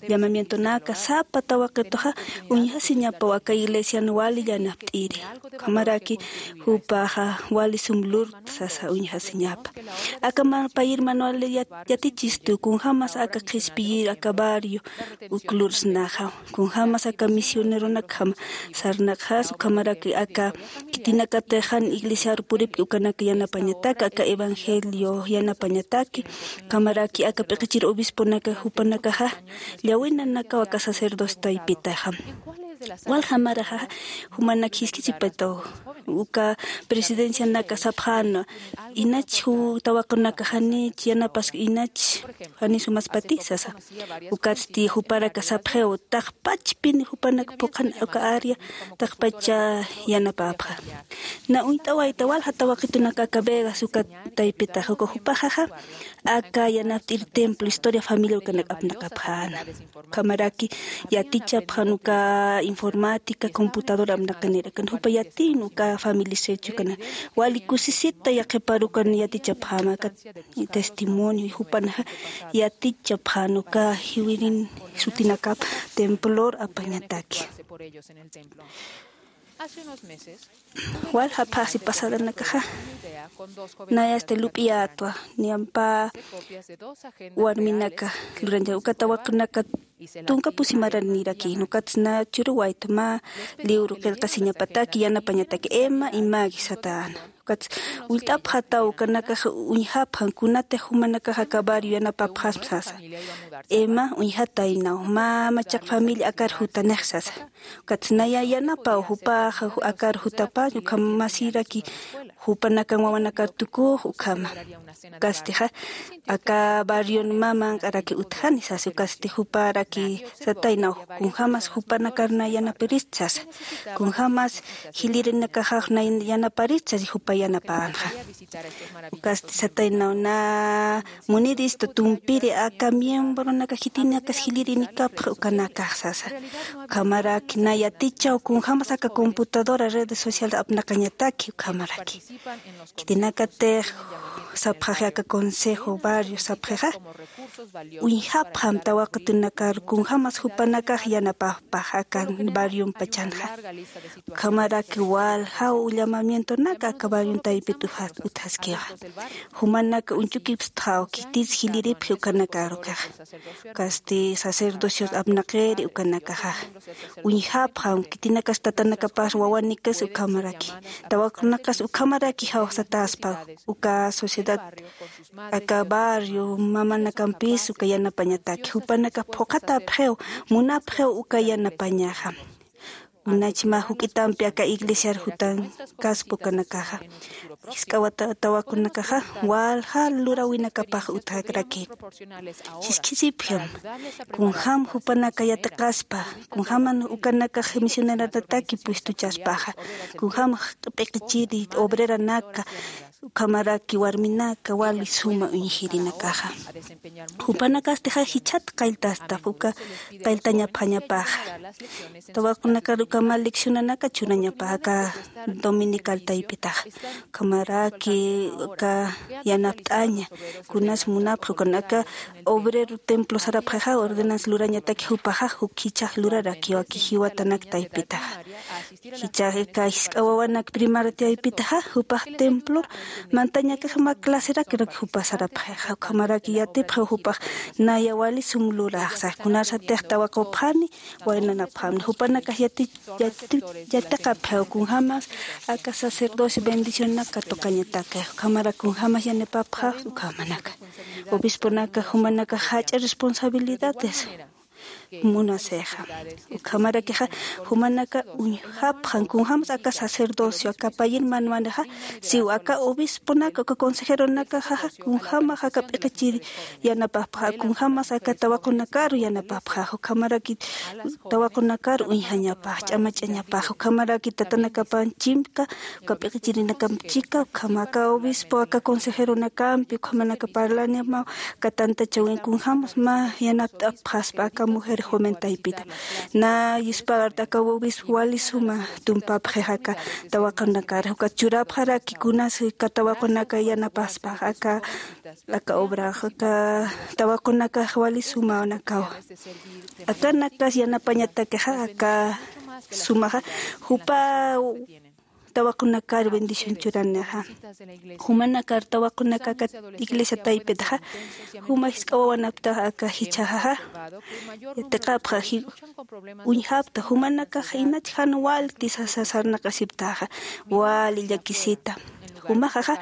llamamientonaka, sapa tawaqituxa uñjasiñapaw aka iglesian wali yanapt'iri. Ukhamaraki jupaxa wali sum lurta sasa uñjasiñapa. Aka mä payir manual yat-, yatichistu, kunjamas aka qhispiyir aka barrio uk lursnaxa, kunjamas aka misioneronakjam sarnaqxas, ukhamaraki aka khitinakatix jan iglesiar puripki ukanak yanapañataki, aka evangelio yanapañataki, ukhamaraki aka p'iqichir obisponaka jupanakaxa llawinanakaw aka sacerdocio taypitaxa. Walja maraxa jumanak jisk'isipataw, uka presidencianaka sapxänwa, inach ju-, tawaqunaka janich yanapask, inach jani sumaspati sasa. Ukatsti juparaka sapxiw, taqpachpin jupanak phuqhan uka área, taqpacha yanapapxa. Na uñt'awayta walja tawaqitunaka aka Vegas uka taypitax, uka jupaxaxa aka yanapt'ir templo, historia familia ukanak apnaqapxäna. Ukhamaraki yatichapxän uka informática, computadora apnaqanirakan. Jupa yatin uka familia sechukanak. Wali kusisita yaqhiparukan yatichapxäma aka testimonio, jupanaxa yatichapxän uka jiwirin sutinakap templor apañataki. Walja phaxsi pasadanakaxa, nayasti lup'iyätwa, niyampa warminaka lurancha, uka tawaqunaka tunka pusi maraniraki, ukatsti na churuwayta mä libro qillqasiñapataki, yanapañataki, Emma y Maggie satäna. Ukatsti ullt'apxataw, ukanakax uñjapxan, kunatix jumanakax aka barrio yanapapxasma sasa. Emma, uñjataynaw, mä machaq familia akar jutanix sasa. Ukatsti naya yanapaw, jupax akar jutapañ, ukham masiraki jupanakan wawanakar tukux ukhama. Ukastixa aka barrion mä manq'araki utjani sasi, ukasti juparaki sataynaw kunjämas jupanakar na yanaparist sasa, kunjämas jilïrinakaxax na yanaparist sasi jupa yanapänxa. Ukasti sataynaw na munirista tumpiri aka miembronaka jitinakas jilïrinikapxa ukanakax sasa. Ukhamaraki na yatichaw kunjämas aka computadora redes sociales apnaqañataki ukhamaraki. Khitinakatix sapxaxi aka consejo barrio sapxixa, uñjapxam tawaqutunakar kunjämas jupanakax yanapapax aka barrion pachanxa. Ukhamaraki waljaw llamamientonaka aka barrion taypit utjaskixa. Jumanaka uñchukipstxaw khitis jilïripxi ukanakar ukaxa. Ukasti sacerdocios apnaqiri ukanakaxa. Uñjapxam khitinakas tatanakapas wawanikas ukhamaraki, tawaqunakas ukhamaraki jawsataspa uka sociedad, aka barrio mamanakampis uka yanapañataki. Jupanaka phuqhatapxiw, munapxiw uka yanapañaxa. Unachma juk'itampi aka iglesiar jutankaspa ukanakaxa. Jisk'awata tawakunakaxa walja lurawinakapax utjakraki. Jiskhisipxam kunjäm jupanaka yatiqaspa, kunjäman ukanakax misioneranataki puestuchaspaxa, kunjäm p'iqichiri obreranaka, ukhamaraki warminaka wali suma uñjirinakaxa. Jupanakastixa jichhat qalltastap uka qalltañapxañapaxa. Tawaqunakar ukhama leccionanaka churañapaxa aka dominical taypitaxa. Ukhamaraki aka yanapt'aña, kunas munapxi ukanaka obrero templo sarapxixa ordenanza lurañataki jupaxa juk jichhax lurarakiwaki jiwatanak taypitaxa. Jichhax aka jisk'a wawanak primaria taypitaxa jupax templo mantañakax mä claserak jupa sarapxixa. Ukhamaraki yatipxiw jupax naya wali sum luraxsa, kunarsatix tawaqupxani waynanapxamni. Jupanakax yati yati yatiqapxiw kunjämas aka sacerdocio bendicionaka tuqañataki, ukhamarak kunjämas yanapapxax ukhamanaka. Obisponaka jumanakax jach'a responsabilidades munasixa. Ukhamarakixa jumanaka uñjapxan kunjämas aka sacerdocio aka payïr manwanixa, siw aka obisponaka uka consejeronakaxaxa kunjämax aka p'iqichiri yanapapxax, kunjämas aka tawaqunakaru yanapapxax, ukhamaraki tawaqunakar uñjañapax, ch'amach'añapax, ukhamaraki tatanakapan chimka, uka p'iqichirinakamp chika, ukhama aka obispo, aka consejeronakampi, ukhamanaka parlañamaw, aka tantachawin kunjämas mä yanapt'apxaspa aka mujer joven taypita. Na yuspagarta aka obispo wali suma tumpapxix aka tawaqunakar, uka churapxaraki kunas aka tawaqunaka yanapaspax aka aka obrax, aka tawaqunakax wali sumanakaw. Akanakas yanapañatakixa aka sumaxa, jupa tawaqunakar bendición churanixa. Jumanakar tawaqunaka aka iglesia taypitaxa, juma jisk'a wawanaptax aka jichhaxaxa, yatiqapxa ji uñjapta, jumanakax inach jan walti sasa sarnaqasiptaxa, wali llakisita. Jumaxaxa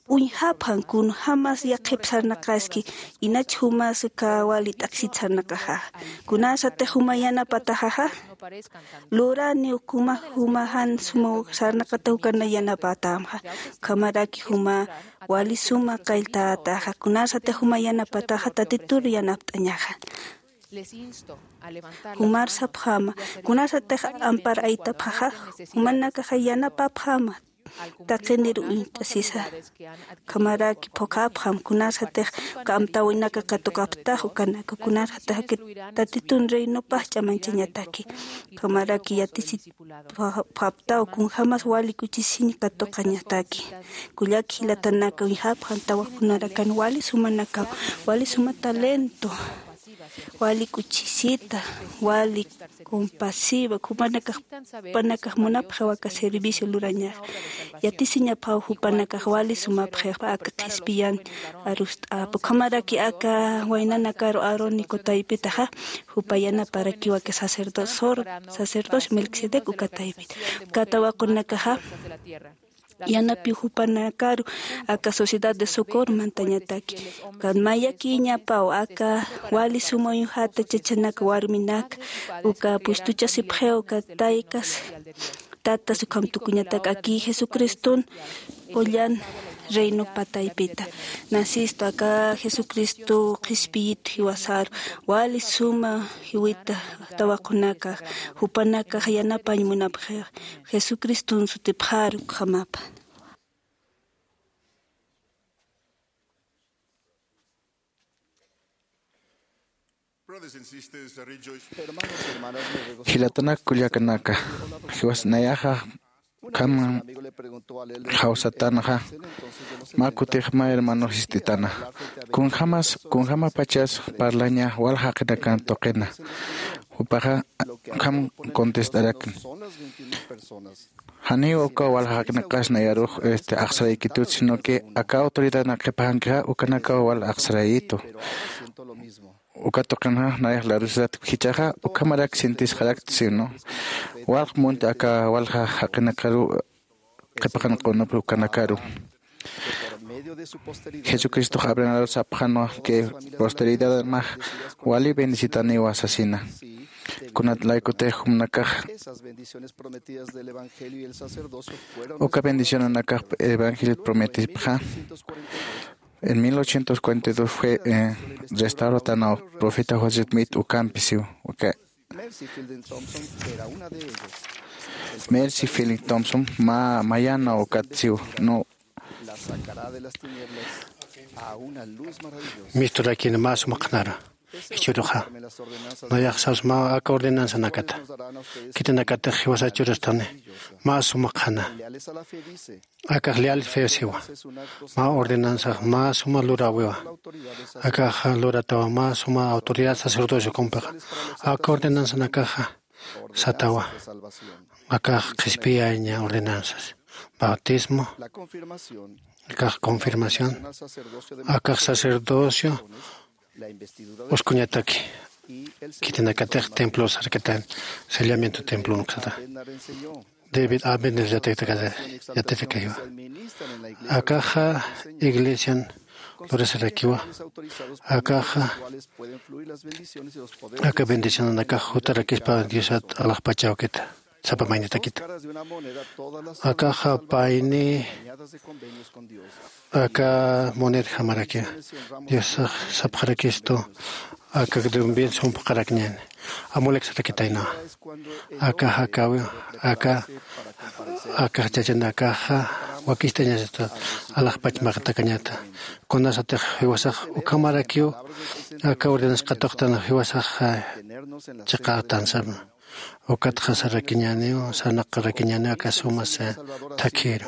uñjapxan kunjämas yaqhip sarnaqaski, inach jumas aka wali t'aqhisit sarnaqaxaxa. Kunarsatix juma yanapataxaxa, luraniw kuma juma jan suma sarnaqatax ukana yanapatämxa. Ukhamaraki juma wali suma qalltätaxa, kunarsatix juma yanapataxa Tatitur yanapt'añaxa. Jumar sapxäma, kunarsatix ampar aytapxaxa, jumanakaxa yanapapxäma taqinir uñt'asisa. Ukhamaraki phuqhapxam, kunarsatix uka amtäwinaka katuqaptax ukanaka, kunarsatix aka Tatitun reinopax ch'amanchañataki. Ukhamaraki yatisit phuqhaptaw kunjämas wali kuchisiñ katuqañataki. Kullak jilatanaka, uñjapxam tawaqunarakan wali sumanakam, wali suma talento, wali k'uchisita, wali compasiva, jupanakax, jupanakax munapxiw aka servicio lurañax. Yatisiñapxaw jupanakax wali sumapxix aka qhispiyan arust'apa. Ukhamaraki aka waynanakaru Aaronico taypitaxa, jupa yanaparakiw aka sacerdocio, sacerdocio Melquisedec uka taypit. Uka tawaqunakaxa, yanapiw jupanakaru aka Sociedad de Socorro mantañataki. Ukat mayakiñapaw aka wali suma uñjata chachanaka warminaka, uka puestuchasipxiw uka taykas, Tatas ukham tukuñatak aki Jesucristun qullan reino pataypita. Nasistu aka Jesucristo qhispiyitu jiwasaru, wali suma jiwita tawaqunakax, jupanakax yanapañ munapxixa, Jesucristun sutipxaru ukhamapa. Jilatanak kullakanaka, jiwas nayaxa ukham jawsatanxa, mä kutix mä hermanox sistitana, kunjämas kunjämapachas parlaña wal jaqinakan tuqina. Jupaxa ukham contestarakin. Janiw uka wal jaqinaqas nayarux este axsaraykitut, sino que aka autoridadnak qhipaxankixa ukanakaw wal axsarayitu. Uka tuqinxa nayax larusat jichhaxa ukhamarak sintisxarakta, sino walq munti aka walja jaqinakaru qhipaxanqunupx ukanakaru. Jesucristox Abrahamar sapxanwa que posteridad max wali bendecitaniwa sasina. Kunat laykutix jumnakax uka bendicionanakax evangelio prometipxa, en mil ochocientos cuarenta y dos fue eh, restauratanaw profeta José Smith ukampi siw. Uka Mercy Philip Thompson mä mayana ukat siw, no. Misturakina mä sumaqnara. Jichhüruxa nayax sas mä aka ordenanzanakata khitinakatix jiwasa churastani, mä sumaqana. Akax leal fe siwa. Mä ordenanzax mä suma luräwiwa. Akaxa luratawa mä suma autoridad sacerdocio ukampixa. Aka ordenanzanakaxa satawa. Akax qhispiyaña ordenanzas. Bautismo. Akax confirmación. Akax sacerdocio uskuñataki. Khitinakatix templo sarkatan, sellamiento templo nuksata. David Abner yatitakata, yatitakayiwa. Akaxa iglesian lurasarakiwa. Akaxa aka bendicionanakax jutarakispa Diosat alaxpachawkita, sapa maynitakita. Akaxa payni aka monedjamarakiwa. Dios sapxarakistu aka dumbin sumpxarakñani. Amulek sarakitaynawa. Aka jakawi, aka, aka jachachanakaxa wakistañasita alaxpachmaqtakañata. Kunasatix jiwasax ukhamarakiw aka ordenas katuqtan jiwasax chiqatansama. Ukatxa sarakiñaniw, sarnaqarakiñaniw aka suma thakhiru.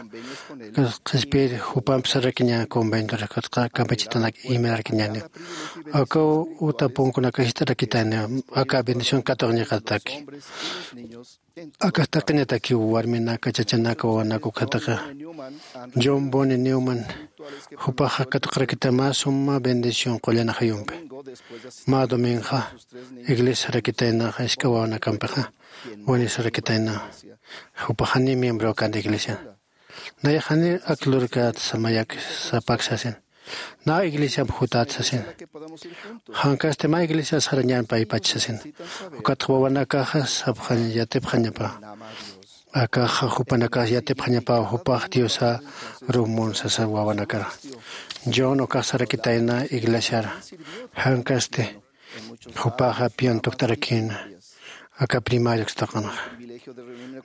Qhispir jupamp sarakiña conventor, ukatxa campechitanak imirarkiñaniw. Aka uta punkunaka jist'arakitayniw, aka bendición katuqñaqataki. Akax taqiñatakiw warminaka, chachanaka, wawanaka ukataqa. John Bonnie Newman jupaxa katuqarakitay mä suma bendición qullan ajayumpi. Mä domingoxa iglesia sarakitaynaxa isk'a wawanakampixa, Bonnie sarakitayna, jupax janiw miembro känti iglesian. Nayax janiw ak lurkät samayak sapak sasin. Nä iglesiamp jutät sasin. Jankasti mä iglesia sarañan paypach sasin. Ukatxa wawanakaxa sapxañ yatipxañapa. Akaxa jupanakax yatipxañapa jupax Diosaru mun sasa wawanakara. John ukax sarakitayna iglesiara. Jankasti jupaxa pian tukt'arakïna. Aka primario ukstaqanxa.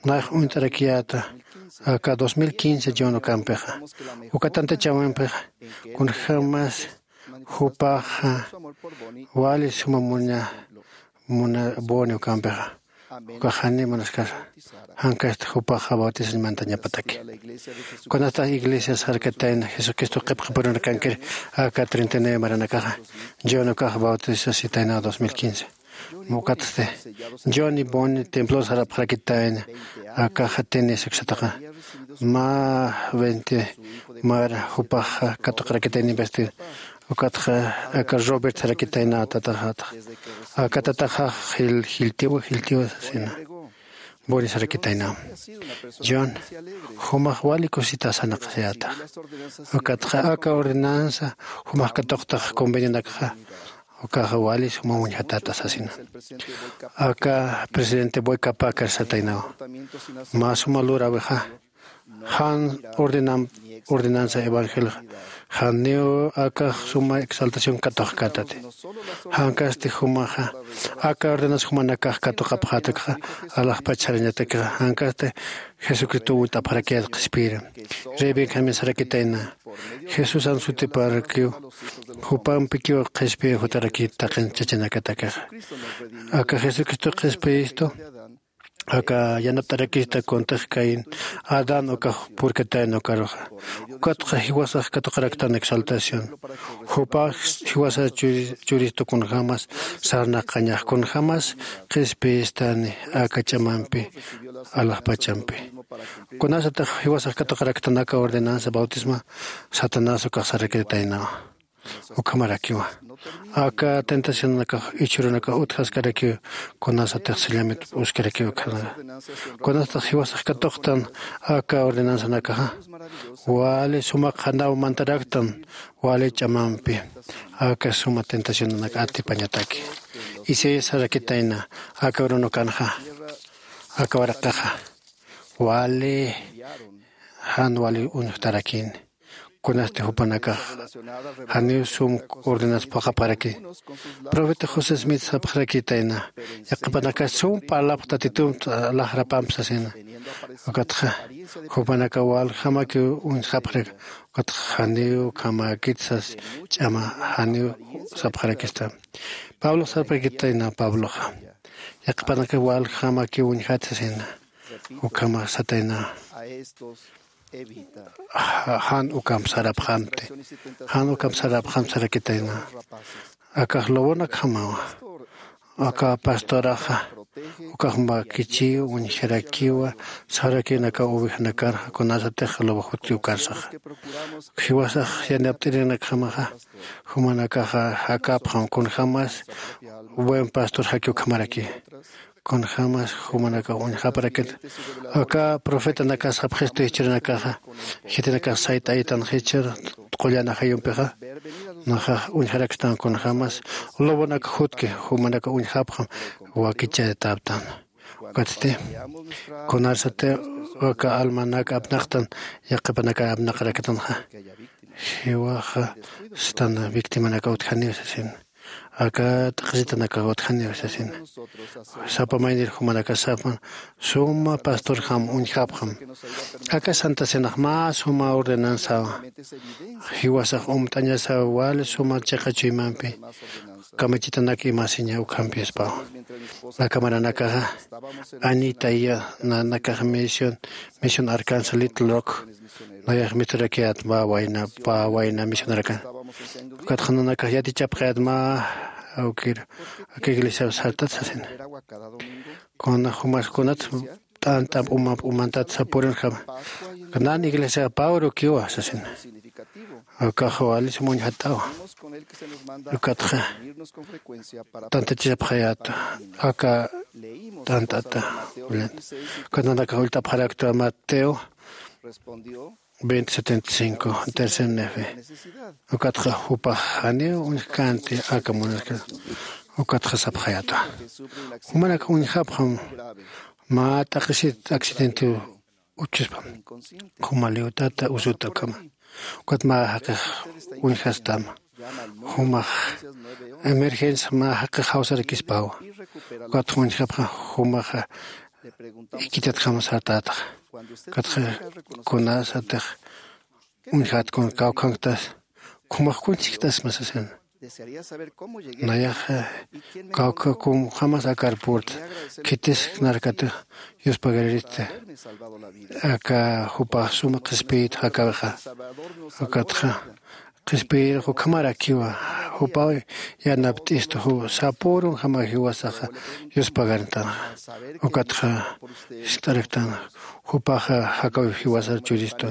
Nax uñt'arakiyäta aka dos mil quince John ukampixa. Uka tantachawimpixa kunjämas jupaxa wali suma muña, muna Bonnie ukampixa. Ukax jani munaskasa. Jankasti jupaxa bautizañ mantañapataki. Kunatax iglesia sarkatayna Jesucristo qhipqapurunakankir aka treinta y nueve maranakaxa. John ukax bautizasitayna dos mil quince. Mukatsti John y Bonnie templo sarapxarakitayna. Akaxa tenis uksataqa. Mä veinte mara jupaxa katuqarakitayna investir. Ukatxa aka Robert sarakitayna tataxatax. Aka tataxax jil jiltiwa jiltiwa sasina. Bonnie sarakitayna. John, jumax wali kusita sanaqasayätax. Ukatxa aka ordenanza jumax katuqtax convenionakxa. Ukaxa wali suma uñjatata sasina. Aka presidente boykapakar sataynawa. Mä suma luräwixa jan ordenam ordenansa evangelxa janiw akax suma exaltación katuxkatati. Jankasti jumaxa aka ordenansa jumanakax katuqapxatakxa alaxpach sarañatakxa jankasti jesucristo uñt'apxarakiyat qhispiyiri. Rey benjamín sarakitayna jesusan sutiparakiw jupampikiw qhispiy jutarakit taqin chachanakatakixa. Aka jesucristo qhispiyistu aka yanapt'arakista kuntix caín adán ukax purkatayna ukaruxa. Ukatxa jiwasax katuqaraktan exaltación jupax jiwasa churistu kunjämas sarnaqañax kunjämas qhispiyistani aka ch'amampi alaxpachampi. Kunasatix jiwasax katuqaraktan aka ordenanza bautisma satanás ukax sarakitaynawa. Ukhamarakiwa aka tentacionanakax ichhurunakax utjaskarakiw kunasatix sillamit p'uskarakiw ukhanaka. Kunasatix jiwasax katuqtan aka ordenanzanakaxa wali suma qhanaw mantaraktan wali ch'amampi aka suma tentacionanak atipañataki. Isaías sarakitayna aka urunukanxa aka waraqaxa wali jan wali uñjtarakini. Kunasti jupanakax janiw sum ordenas phuqapxaraki. Profeta josé smith sapxarakitayna yaqhipanakax sum parlapx tatitumpt alaxrapamp sasina. Ukatxa jupanakax waljamakiw uñjapxarak. Ukatxa janiw ukhamäkit sas ch'ama janiw sapxarakista. Pablox sapxarakitayna pabloxa yaqhipanakax waljamakiw uñjat sasina. Ukhama satayna jan ukamp sarapxamti. Jan ukamp sarapxamti sarakitayna. Akax lobonakjamawa. Aka pastoraxa ukax makichiw uñjarakiwa. Sarakinaka ovejanakar kunasatix lobo jutki ukarsaxa. Jiwasax yanapt'irinakjamaxa jumanakaxa jakapxam kunjämas buen pastor jaki ukhamaraki. Kunjämas jumanakax uñjaparakit aka profetanakas sapxistu jichhürunakaxa jitinakax sayt'ayitanxichhür qullan ajayumpixa. Naxax uñjarakstan kunjämas lobonak jutki jumanakax uñjapxam wakichayataptan. Ukatsti kunarsati aka almanak apnaqtan yaqhipanaka apnaqaraktanxa jiwaxa stan victimanaka utjaniw sasin. Aka t'aqhisitanaka utjaniw sasin. Sapa maynir jumanaka sapan suma pastorjam uñjapxam. Aka santa cenax mä suma ordenansawa. Jiwasax umt'añasaw wali suma chiqa chuymampi kamachitanak imasiña ukhampiyaspawa. Aka maranakaxa añitaya nanakax misión misión arkansa little rock nayax misturakiyat mä wayna pä wayna misionarakan. Ukatxa nanakax yatichapxayat mä awkir aka iglesiaw sartat sasina. Kuna jumas kunat t'ant'amp umamp umantat sapurunjama. Nan iglesia pä urukiwa sasina. Ukax wali sum uñjat'awa. Ukatxa tantachasapxayäta aka t'ant'ata. Ukat nanakax ullt'apxarakta mateo veinte setenta y cinco tercer nefe. Ukatxa jupax janiw uñjkänti aka munaskas. Ukatxa sapxayäta jumanak uñjapxam. Mä t'aqhisit accidentiw uchchuspa juma liwtata usuta ukhama. Ukat mä jaqix uñjastama jumax emergencia mä jaqix jawsarakispawa. Ukat uñjapxa jumaxa ikitatjama sartätaxa. Ukatxa kunasatix uñjat kun kawkhanktas jumax kuñchiktasma sasina. Nayaxa kawkha kumjamas akar purta khitisknarkatix yuspagariristi. Aka jupax suma qhispiyit jakawixa. Ukatxa qhispiyirux ukhamarakiwa. Jupaw yanapt'istu sapürunjama jiwasaxa yuspagarntanxa. Ukatxa jiskt'araktanxa jupaxa jakaw jiwasar churistu.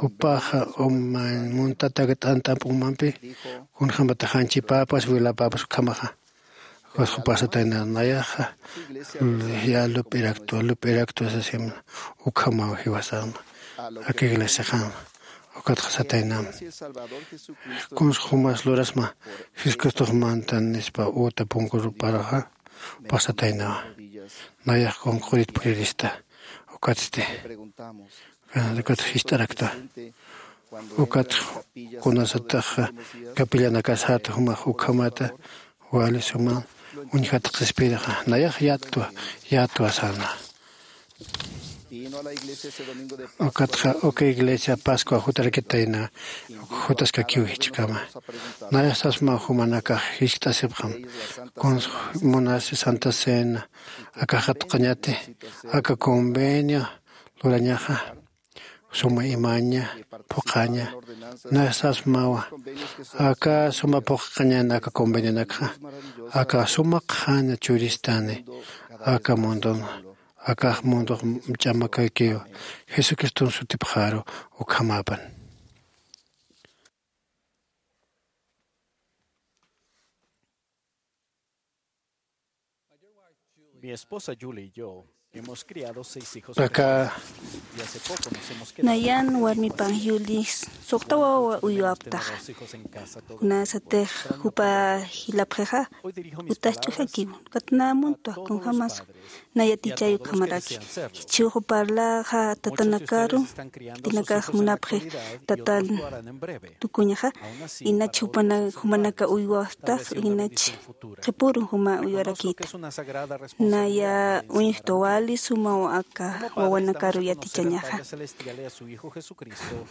Jupaxa umañ muntatak t'ant'amp umampi kunjämatax janchipäpas wiläpäpas ukhamaxa. Ukat jupax satayna nayaxa ya lup'iraktwa lup'iraktwa sasimna. Ukhamaw jiwasaxma aka iglesiaxama. Ukatxa satayna, kuns jumas lurasma Jesucristox mantan nispa uta punkuruparaxa, pasataynawa. Nayax qunqurit purista. Ukatsti, ukatx jist'arakta. Ukatx kunasatax capillanakasat jumax ukhamata wali suma uñjat qhispirixa, nayax yatwa, yatwa sana. Ukatxa uka iglesia Pascua jutarakitayna, jutaskakiw jichhkama. Nayax sasma jumanakax jiskt'asipxam, kuns munasi Santa Cena akax qatqañati, aka convenio lurañaxa, suma imaña, phuqhaña, nayax sasmawa, aka suma phuqhañan aka convenionakxa, aka suma qhana churistani, aka mundon, akax mundox ch'amakakiw, Jesucriston sutipxaru ukhamapan. Mi esposa Julie y yo hemos criado seis hijos. Aka y hace poco nos hemos quedado nayan warmipan Julie suqta wawa uywaptaxa. Kunasatix jupa jilapxixa utas ch'ujakiw, katna muntwa kunjamas nayatichayu ukhamaraki. Jichhüru parlaxa tatanakaru, tinakax munapxi tatan tukuñaxa, inach jupana-, jumanaka uywaptax, inach qhipürun juma uywarakïta. Naya uñjtwa wali sumaw aka wawanakaru yatichañaxa.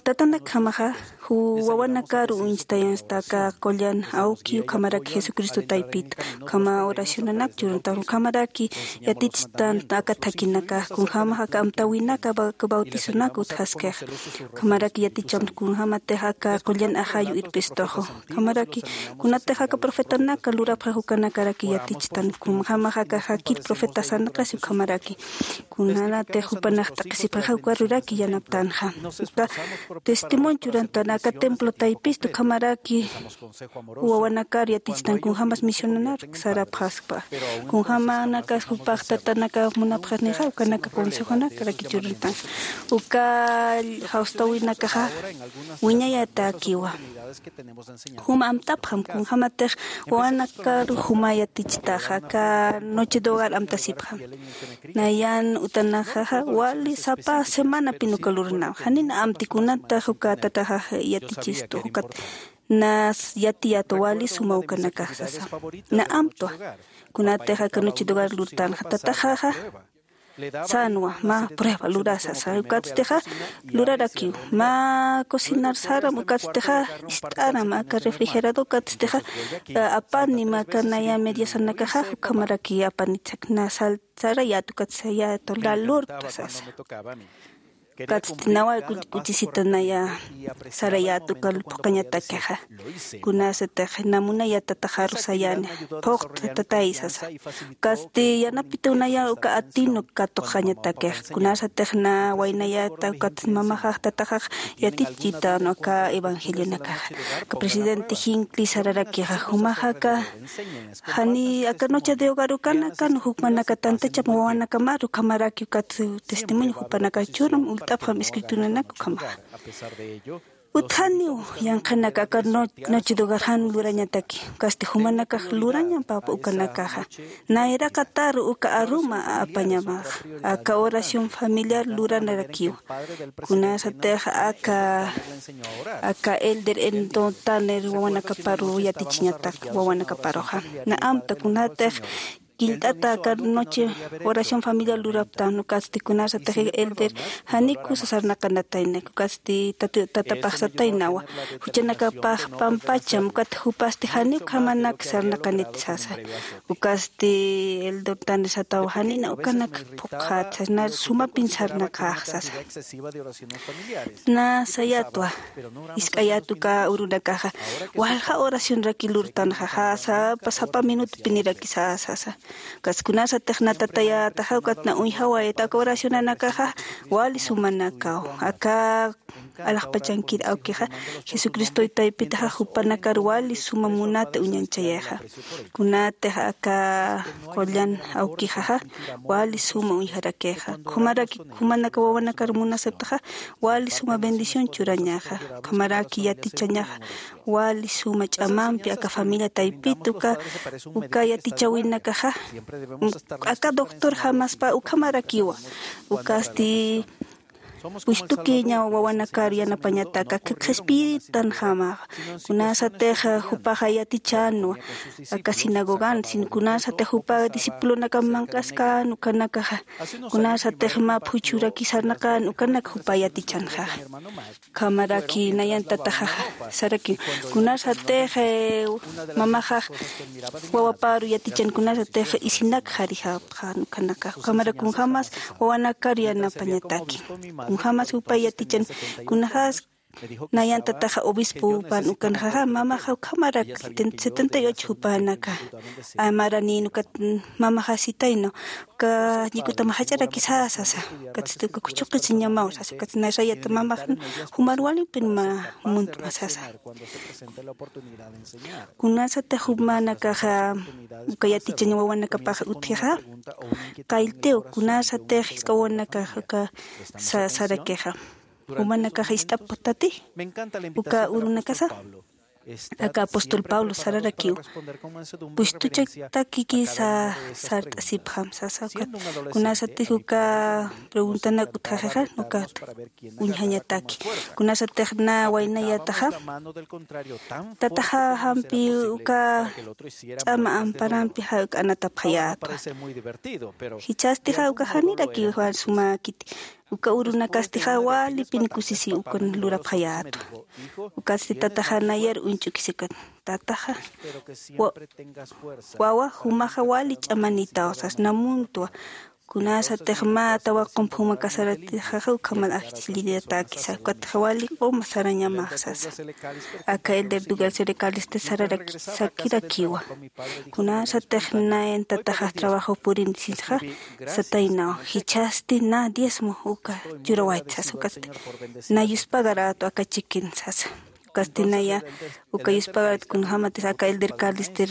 Tatanakjamaxa, ju wawanakaru uñstayansta aka qullan awki ukhamaraki Jesucristo taypita, ukhama oracionanak churuntan, ukhamaraki yatichtan aka thakinakax, kunjamax aka amtäwinaka ba-, bautizonak utjaskixa, ukhamaraki yaticham kunjamatix aka qullan ajayu irpistuxu, ukhamaraki kunatix aka profetanaka lurapxix ukanakaraki yatichtan, kunjamax aka jakit profeta sarnaqasi ukhamaraki. Kunanatix jupanax t'aqhisipxixa uka ruraki yanaptanxa. Uka testimonio churantan aka templo taypista ukhamaraki wawanakar yatichtan kunjamas misionanak sarapxaspa. Kunjamanakas jupax tatanaka munapxasnixa ukanaka consejonakaraki churantan. Uka jawstawinakaxa wiñayatäkiwa. Juma amtapxam, kunjamatix wawanakaru juma yatichtaxa, aka noche de hogar amtasipxam. Nayan utanaxaxa wali sapa semanapin uka luranam. Janina amti kunatax uka tataxax yatichistu, ukat nas yatiyätwa wali suma ukanakax sasa. Na amtwa. Kunatix aka noche de hogar lurtanxa tataxaxa sänwa, mä prueba lurasa sasa. Ukatstixa lurarakiw. Mä cocinar saram, ukatstixa ist'aram aka refrigerador, ukatstixa, eh, apanim aka naya mediasanakaxa, ukhamaraki apanit sak na sal sarayät, ukat sayät, la lurta sasa. Ukatsti nawa kuch-, kuchisita naya sarayät uka phuqhañatakixa. Kunasatix na munayät tataxaru sayani, phuqta tatay sasa. Ukatsti yanapituw naya uka atinu katuqañatakix. Kunasatix na waynayäta, ukat mamaxax tataxax yatichitan aka evangelionakaxa. Aka presidente Hinckley sararakixa, jumax aka jani aka noche de hogar ukanakan, jumanaka tantacham wawanakamaru ukhamaraki ukat testimonio jupanaka churum, ullt'apxam escrituranaka ukhamaxa. Utjaniw yanqhanaka aka no-, noche de hogar jan lurañataki, ukasti jumanakax lurañam papa ukanakaxa. Nayraqataru uka aruma apañamax, aka oración familiar luranarakiw. Kunasatix aka, aka elder Eldon Tanner wawanakaparu yatichiñatak, wawanakaparuxa. Na amta kunatix killt'ata aka noche oración familiar luraptan, ukatsti kunasatix elder janiw kusa sarnaqanatayna, ukatsti tata-, tatapax sataynawa. Juchanakapax pampacham, ukat jupasti janiw ukhamanak sarnaqanit sasa. Ukatsti elder Tanner satawa, janina ukanak phuqhat sasa, na sumapin sarnaqax sasa. Na sayätwa, jisk'ayät uka urunakaxa, walja oracionraki lurtanxa, sapa, sapa minutupiniraki sasa. Kaskunasatix natatayataxa ukatna uñjawayata aka oracionanakaxa wali sumanakaw aka alaxpachankir awkixa jesucristoy taypitaxa jupanakar wali suma munata uñanchayaxa. Kunatix aka qullan awkixaxa wali suma uñjarakixa. Khumaraki khumanaka wawanakar munasaptaxa wali suma bendición churañaxa. Khumaraki yatichañaxa wali suma ch'amampi aka familia taypita uka uka yatichawinakaxa aka doctor jamaspa ukhamarakiwa. Ukasti pushtukiña wawanakar yanapañataka qhispitan jamaxa. Kunasatix jupaxa yatichanwa aka sinagogan sin kunasatix jupa discipulonakam manq'askan ukanakaxa kunasatix maphuchuraki sarnaqan ukanak jupa yatichanxaxa. Khamaraki nayan tataxaxa saraki kunasatix mamaxax wawaparu yatichan kunasatix isinak jarixapxan ukanakax khamara kunjamas wawanakar yanapañataki kunjamas jupa yatichan kunaxas nayan tataxa obispopan ukanxaxa mamaxa ukhamarak setenta y ocho jupanaka amaraninukat mamaxasitayna uka ñikutama jach'arakisasasa. Ukatsti uka khuchuqisiñamaw sasa ukatsti nasayata mamaxan jumar walimpin ma muntma sasa. Kunasatix jumanakaxa uka yatichañ wawanakapax utjixa qalltiw kunasatix jisk'a wawanakax uka sarakixa jumanakaxa ist'aptati uka urunakasa aka apóstol pablo sararakiw pushtuchaktakikisa sart'asipxam sasa ukat kunasatix uka preguntanak utjaxixa ukat uñjañataki kunasatix na waynayataxa tataxa jampi uka ch'ama amparampi jak'anatapxayatwa. Jichhastixa uka janirakiw sumäkiti uka urunakastixa walipin kusisi ukan lurapxayätwa. Ukatsti tataxa nayar uñch'ukisikan tataxa wawa jumaxa wali ch'amanitaw sasnamuntwa. Kunasatix mä tawaqump juma kasaratixaxa ukhamat ajchilliyatäkisa ukatxa wali q'uma sarañamax sasa. Aka elder dugal serecalesti sararakisakirakiwa kunasatix nayan tataxax trabajo purin sinxa sataynaw jichhasti na diezmo uka churawayt sasa ukatsti na yuspagaratu aka chikin sasa. Ukatsti naya uka yuspagarat kunjamatis aka elder calester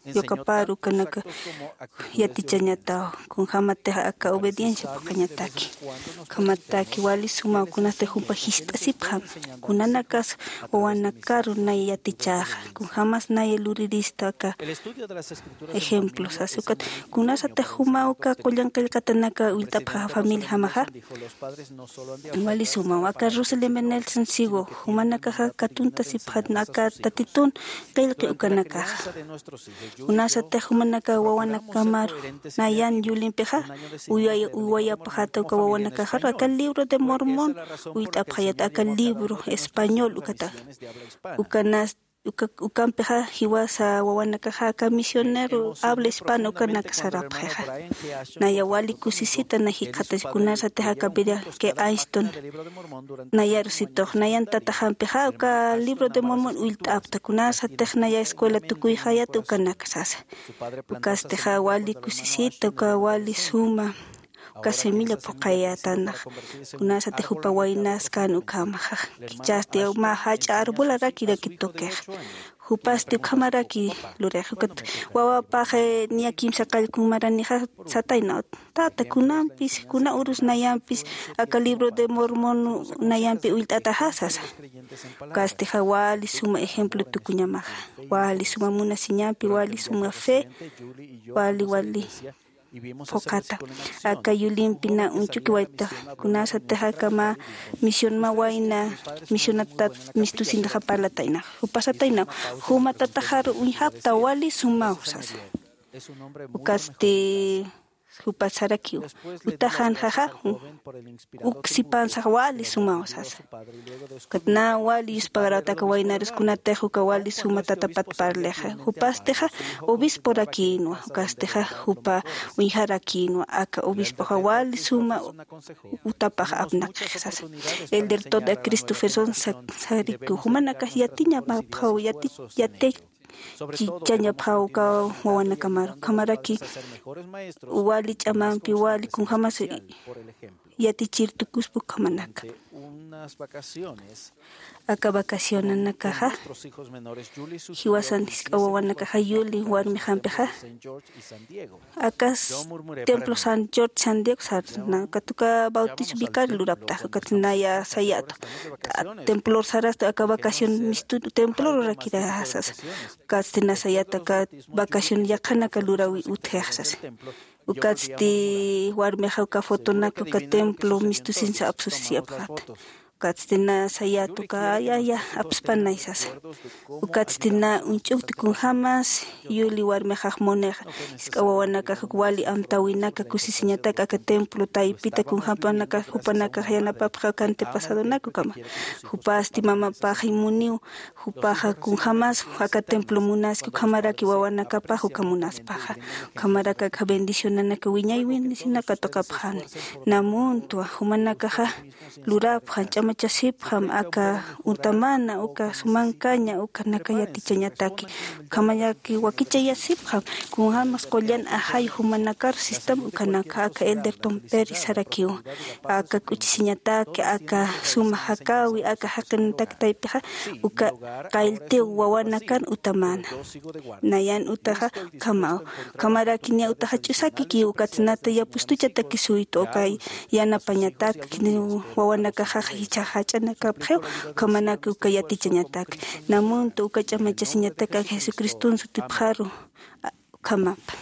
yukaparu ukanaka yatichañataw kunjamatix aka obediencia phuqhañataki. Ukhamataki wali sumaw kunasti jumpa jist'asipxam kunanakas wawanakaru nay yatichäxa kunjamas nay lurirista aka ejemplo sasa ukat kunasatix jumaw uka qullan qillqatanaka ullt'apxaxa familia jamaxa wali sumaw aka roselembe nelson sigo jumanakaxa katuntasipxatna aka tatitun qillqi ukanakaxa. Kunasatix jumanaka wawanakamaru nayan yulimpixa uywayapxata uka wawanakaxaru aka libro de mormón ullt'apxayat aka libro español ukata ukanas ukampixa jiwasa wawanakaxa aka misionero habla hispano ukanaka sarapxixa. Naya wali kusisita na jikxatasi kunasatix aka bira que ainston nayarusitux nayan tataxampixa uka libro de mormón ullt'apta kunasatix naya escuela tukuyxayata ukanaka sasa. Ukastixa wali kusisita uka wali suma uka semilla phuqhayätanax kunasatix jupa waynaskan ukhamaxa. Kichasti mä jach'a arbolarakiraki tukix jupasti ukhamaraki lurix ukat wawapax niya kimsa qallkun maranixa sataynaw tata kunampis kuna urus nayampis aka libro de mormón nayampi ullt'ataxa sasa. Ukastixa wali suma ejemplo tukuñamaxa wali suma munasiñampi wali suma fe wali wali phuqhata aka yulimpi na uñchukiwayta kunasatix aka mä misión mä wayna misionatat mistusintaxa parlataynax jupasataynaw juma tataxaru uñjapta wali sumaw sasa. Ukasti jupa sarakiw utaxanxaxa uk sipansax wali sumaw sasa. Ukat na wali yuspagarawta aka waynarus kunatix uka wali suma tatapat parlixa jupastixa obisporakïnwa ukastixa jupa uñjarakïnwa aka obispoxa wali suma utapax apnaqix sasa. Elder toda christopherson sarikiw jumanakax yatiñamapxaw yati yati chichañapxaw uka wawanakamaru. Ukhamaraki wali ch'amampi wali kunjämas yatichir tukuspa ukhamanaka. Aka vacacionanakaxa jiwasan jisk'a wawanakaxa Yuli warmixampixa akas templo San George San Diego sarna, ukat uka bautizo vicario luraptaxa, ukat naya sayätu. Templor sarasta aka vacación mistu templorurakirasasa. Ukatsti na sayätu aka vacación yaqhanaka luräwi utjixasasa. Ukatsti warmixa uka fotonaka uka templo mistusinsa apsusisiyapxäta. Ukatsti na sayätu uka ya ya apspanay sasa. Ukatsti na uñch'ukti kunjämas Yuli warmixax Monixa, jisk'a wawanakax uk wali amtäwinaka kusisiñatak aka templo taypita kunjämpanakax jupanakax yanapapxi aka antepasadonaka ukhama. Jupasti mamapaxay Muniw, jupaxa kunjämas aka templo munaski ukhamaraki wawanakapax uka munaspaxa. Ukhamaraki aka bendicionanaka wiñay bendicionaka tuqapxani. Na muntwa jumanakaxa lurapxan, ch'amachasipxam aka utamana, uka sumankaña, ukanaka yatichañataki. Ukhamaraki wakichayasipxam, kunjämas qullan ajay jumanakar sistam ukanaka aka Elderton Perry sarakiw. Aka k'uchisiñataki, aka suma jakäwi, aka jaqinatak taypixa, uka qalltiw wawanakan utamana. Nayan utaxa ukhamaw. Ukhamaraki niya utaxa ch'usakiki, ukat nata yapustuchatakisuytu, uka yanapañatak, wawanakaxax jichhax jach'anakapxiw, ukhamanaki uka yatichañatak. Na muntwa uka ch'amachasiñatak aka Jesucriston sutipxaru, a, ukhamapan.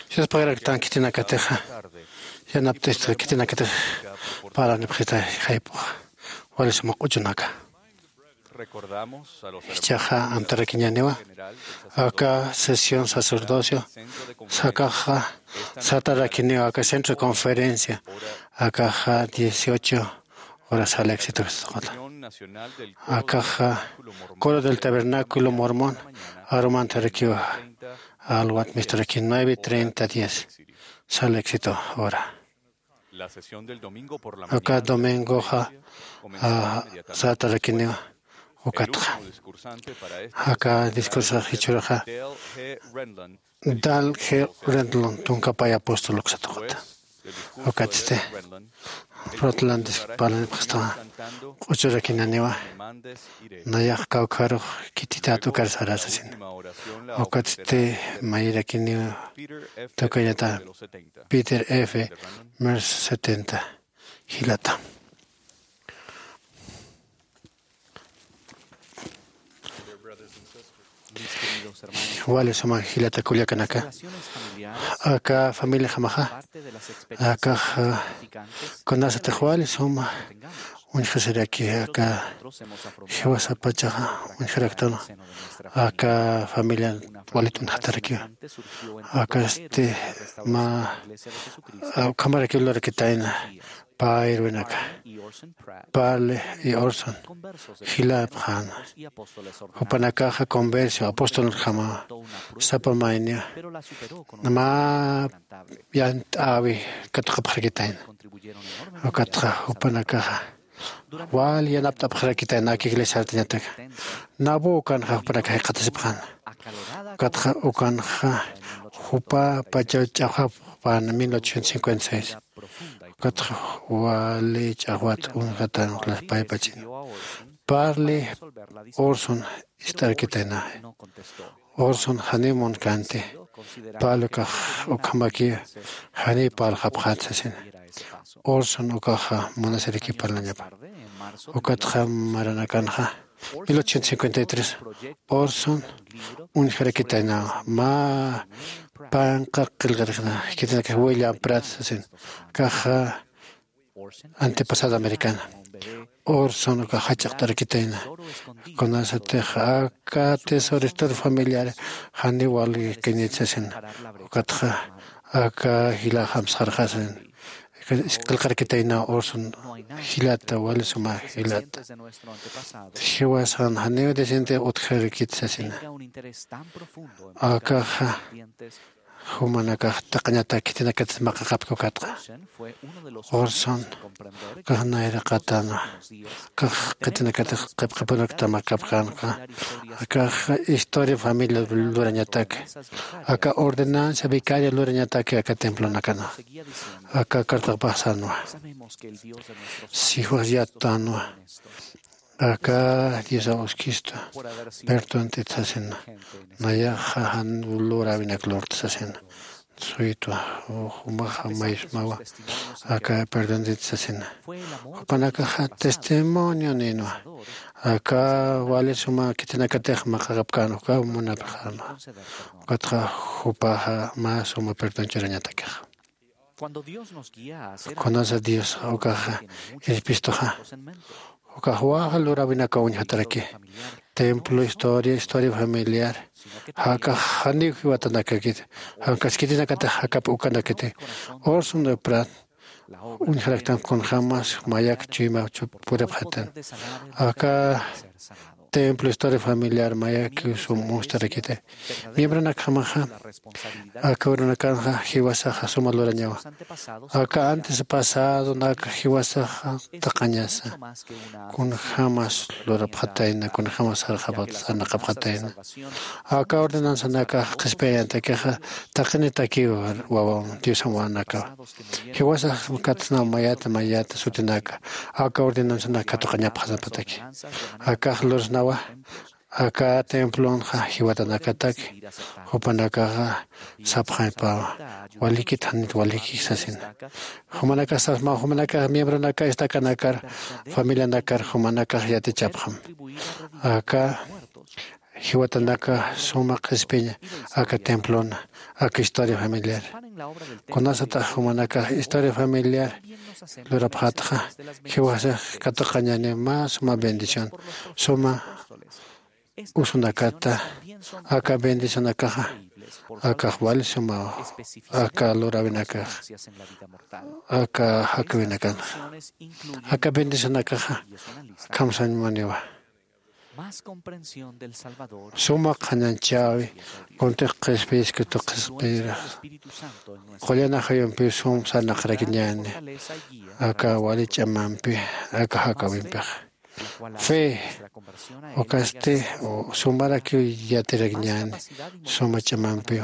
Sispagiraktan khitinakatixa yanapt'ista khitinakatix parlanipxita jayp'ux wali suma q'uchunaka. Jichhaxa amtarakiñäniwa aka sesión sacerdocio sakaxa satarakiniwa aka centro de conferencia akaxa dieciocho horas al éxito. Akaxa coro del tabernáculo mormón arumantarakiwa alwat misturaki nueve treinta diez sal éxito hora. Aka domingoxa satarakiniwa ukatxa aka discursax jichhüraxa dal g rendlon tunka pay apóstol uksatuxta. Ukatsti rotlandis parlanipxastaxa q'uchurakinaniwa nayax kawkharux khitität ukar sarasasin. Ukatsti mayirakiniwa tukañata peter f mers setenta jilata. Wali suma jilata kullakanaka aka familiajamaxa akax kunasatix wali suma uñjasiraki aka jiwasapachaxa uñjaraktan aka familia walitun jatarakiwa. Akasti mä ukhamarakiw lurakitayna pä irwinaka parle y orson jilapxäna. Jupanakaxa conversio apostolunjama sapa mayniw mä yant'äwi katuqapxarakitayna. Ukatxa jupanakaxa wal yanapt'apxarakitayna aka iglesiartañataka nabu ukanxa jupanakax jikxatasipxäna. Ukatxa ukanxa jupa pachaw ch'axwapxpän mil ochocientos cincuenta y seis. Ukatxa wali ch'axwat uñjatan las paypachin parli orson ist'arkitayna. Orson janiw munkänti pal ukax ukhamaki janiw parlxapxät sasina. Orson ukaxa munasiraki parlañapa. Ukatxa maranakanxa mil ochocientos cincuenta y tres orson uñjarakitaynawa mä panqa qillqarixna khitinakax william prat sasin kaxa antepasado americana. Orson ukax jach'aqt'arakitayna kunasatix aka tesoro historia familiar janiw walikañit sasina. Ukatxa aka jilaxam sarxasin qillqarkitayna orson jilata wali suma jilata. Jiwasan janiw decente utjarakit sasina. Akaxa jumanakax taqañatak khitinakatis maqaqapki ukatxa orson kax nayraqatanwa kax khitinakatix qipqipurukta maqaqapkänwa. Akax historia familia lurañataki aka ordenanza vicaria lurañataki aka templonakanwa aka cartaqpaxsanwa. Sijuas yattanwa aka diosa uskistu perdontit sasina. Nayaxa jan luräwinak lurta sasina suytwa jumaxa maysmawa aka perdontit sasina. Jupanakaxa testimonio ninwa aka wali suma khitinakatix maqaqapkän ukaw munapxänwa. Ukatxa jupaxa mä suma perdon churañatakixa kunasa dios ukaxa irpistuxa ukax waxa luräwinakaw uñjataraki templo historia historia familiar jakax janiw jiwatanakakiti jankaskitinakatix jakap ukanakiti orson de prat uñjaraktan kunjämas mayak chuyma puripxatan aka templo historia familiar mayakiw sum mustarakiti miembronakjamaxa aka urunakanxa jiwasaxa suma lurañawa aka antes pasadonak jiwasaxa taqañasa kunjämas lurapxatayna kunjämas sarnaqapxatayna aka ordenanzanakax qhispiyañatakixa taqinitakiw wawan diosan wawanakawa jiwasax katsnaw mayata mayata sutinaka aka ordenanzanak katuqañapxasnapataki akax lursnawa aka templonxa jiwatanakataki jupanakaxa sapxañpawa walikit janit walikix sasina jumanakax sasmaw jumanakax miembronaka estakanakar familianakar jumanakax yatichapxam aka jiwatanaka suma qhispiña aka templona, aka historia familiar. Kunasatax jumanakax historia familiar lurapxätxa, jiwasax katuqañäni mä suma bendición, suma usunakata. Aka bendicionakaxa akax wali suma, aka luräwinakax, aka jakäwinakanxa, aka bendicionakaxa kamsañmuniwa. Suma qhanañchäwi, kuntix qhispiskituqhispira, qullan ajayumpiw sum sarnaqarakiñäni, aka wali ch'amampi, aka jakäwimpixa. Fe, ukasti sumarakiw yatirakiñäni suma ch'amampiw.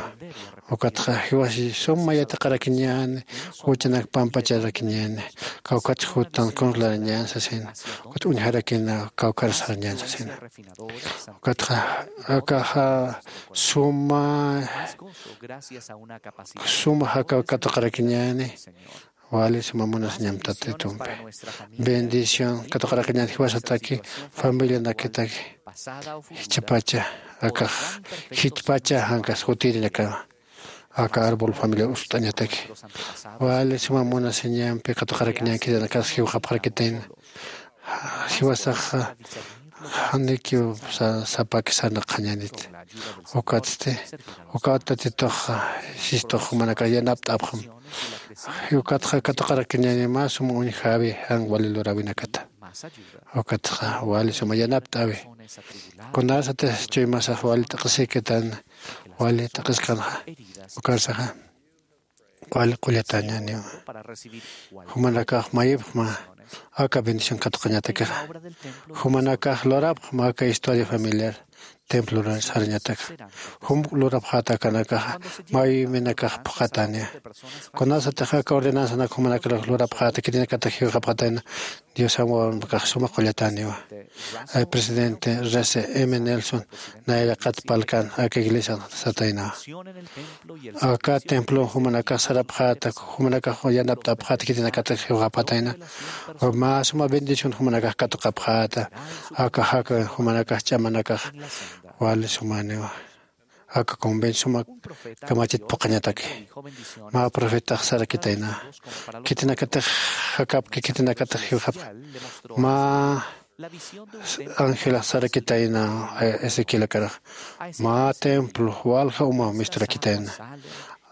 Ukatxa jiwasi suma yatiqarakiñäni, juchanak pampacharakiñäni, kawkhatsa jutan kunslarañän sasina, ukat uñjarakina kawkharasarañän sasina. Ukatxa akaxa suma, suma jakaw katuqarakiñäni, wali suma munasiñam Tatitumpi. Bendición katuqarakiñän jiwasataki, familianakataki, jichhapacha, akax jichhapacha jankas jutirinakan, aka árbol familia ust'añataki. Wali suma munasiñampi katuqarakiñän, khitinakas jiwxapxarakitayna. Jiwasaxa janikiw sa- sapaki sarnaqañänit. Ukatsti, ukat Tatituxa sistux jumanakax yanapt'apxam. Ukatxa katuqarakiñäni mä sum uñjäwi jan wali luräwinakata. Ukatxa wali suma yanapt'äwi. Kunasatix chuymasax wali t'aqhisikitan, wali t'aqhiskanxa, ukarsaxa wali qullatañäniwa. Jumanakax mayipxma aka bendición katuqañatakixa. Jumanakax lurapxma aka historia familiar templo sarañataka. Jum lurapxäta akanakaxa mayipxminakax phuqhatäniwa. Kunasatix aka ordenanzanak jumanakax lurapxäta, khitinakatix jiwxapxatayna, Diosan wawanpakax suma qullatäniwa. Presidente Rece M Nelson nayraqat palkan aka iglesian sataynawa. Aka templon jumanakax sarapxäta, jumanakax yanapt'apxäta, khitinakatix jiwxapxatayna, mä suma bendición jumanakax katuqapxäta. Aka jakäwin jumanakax ch'amanakax wali sumäniwa. Aka convenio suma kamachit phuqhañataki. Mä profetax sarakitayna, khitinakatix jakapki, khitinakatix jiwxapki. Mä angelax sarakitayna Ezequielakarux, mä templo walja uma misturakitayna.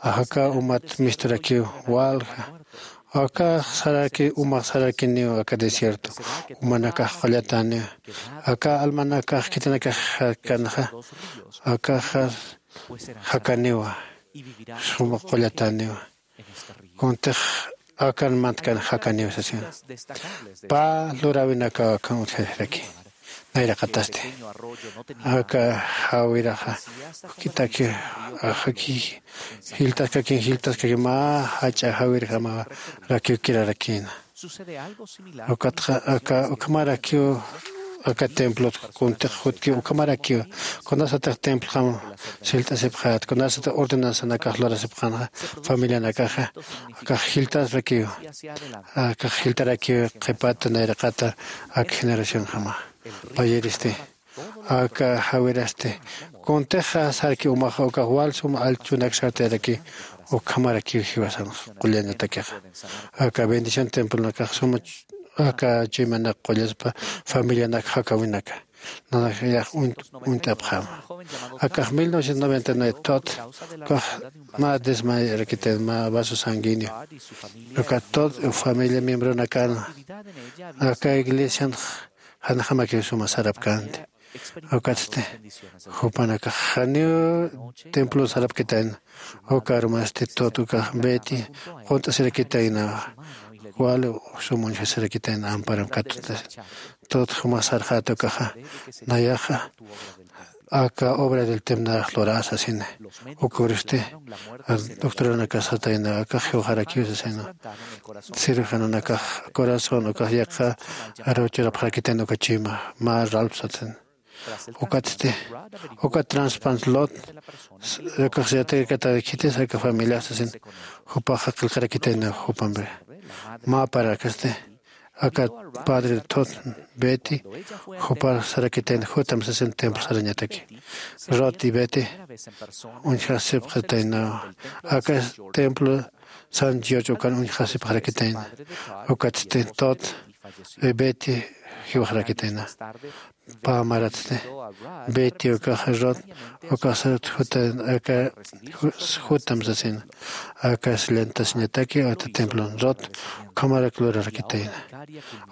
Aka umat misturakiw walja. Aka saraki, umax sarakiniw aka desierto, umanakax qullatäniw. Aka almanakax khitinakax jakanxa, akaxa jakaniwa, suma qullatäniwa. Kuntix akan mantkan jakaniw sasina. Pä luräwinakaw akan utjasiraki. Nayraqatasti aka jawiraxa juk'itakiw, ajaki, jiltaskakin, jiltaskakin mä jach'a jawirjamarakiw kirarakïna. Ukatxa aka ukhamarakiw, aka templot kuntix jutkiw ukhamarakiw. Kunasatix templojam sillt'asipxät, kunasatix ordenanzanakax lurasipxänxa, familianakaxa akax jiltasrakiw, akax jiltarakiw qhipat nayraqata aka generacionjama. Payiristi aka jawirasti kuntixa sarki umaxa ukax wal sum allchunak sartayaraki, ukhamarakiw jiwasan qullañatakixa. Aka bendición templonakax suma aka chuymanak qullaspa familianak jakäwinaka. Nanayax uñt'apxäma. Akax mil novecientos noventa y nueve Todd ukax mä desmayarakitayna, mä vaso sanguíneo. Uka Todd familia miembronakan aka iglesian janjamakiw suma sarapkänti. Ukatsti jupanakax janiw templo sarapkitayna. Uka armasti Todd ukax Betty qunt'asirakitayna, wali sum uñjasirakitayna amparam katuta. Todd jumax sarxäta ukaxa, nayaxa aka obra del templo nayax lurä sasina. Ukürsti doctoranakax satayna, akax jiwxarakiw sasina. Cirujanonakax corazón ukax yaqha aruw churapxarakitayna uka chuyma, mä Ralph satin. Ukatsti uka transplant lot ukax yatirakata khitis aka familiax sasin, jupaxa qillqarakitayna jupampi. Mä parakasti Aka padre Todd, Betty jupar sarakitayna, jutam sasin templo sarañataki. Rod y Betty uñjasipxatayna aka templo San George ukan uñjasipxarakitayna. Ukatsti Todd y Betty jiwaxarakitayna. Pä maratsti Betty ukaxa Rod ukaxsat jutan aka jutam sasin. Aka sillantasiñataki ata templon Rod ukhamarak lurarakitayna.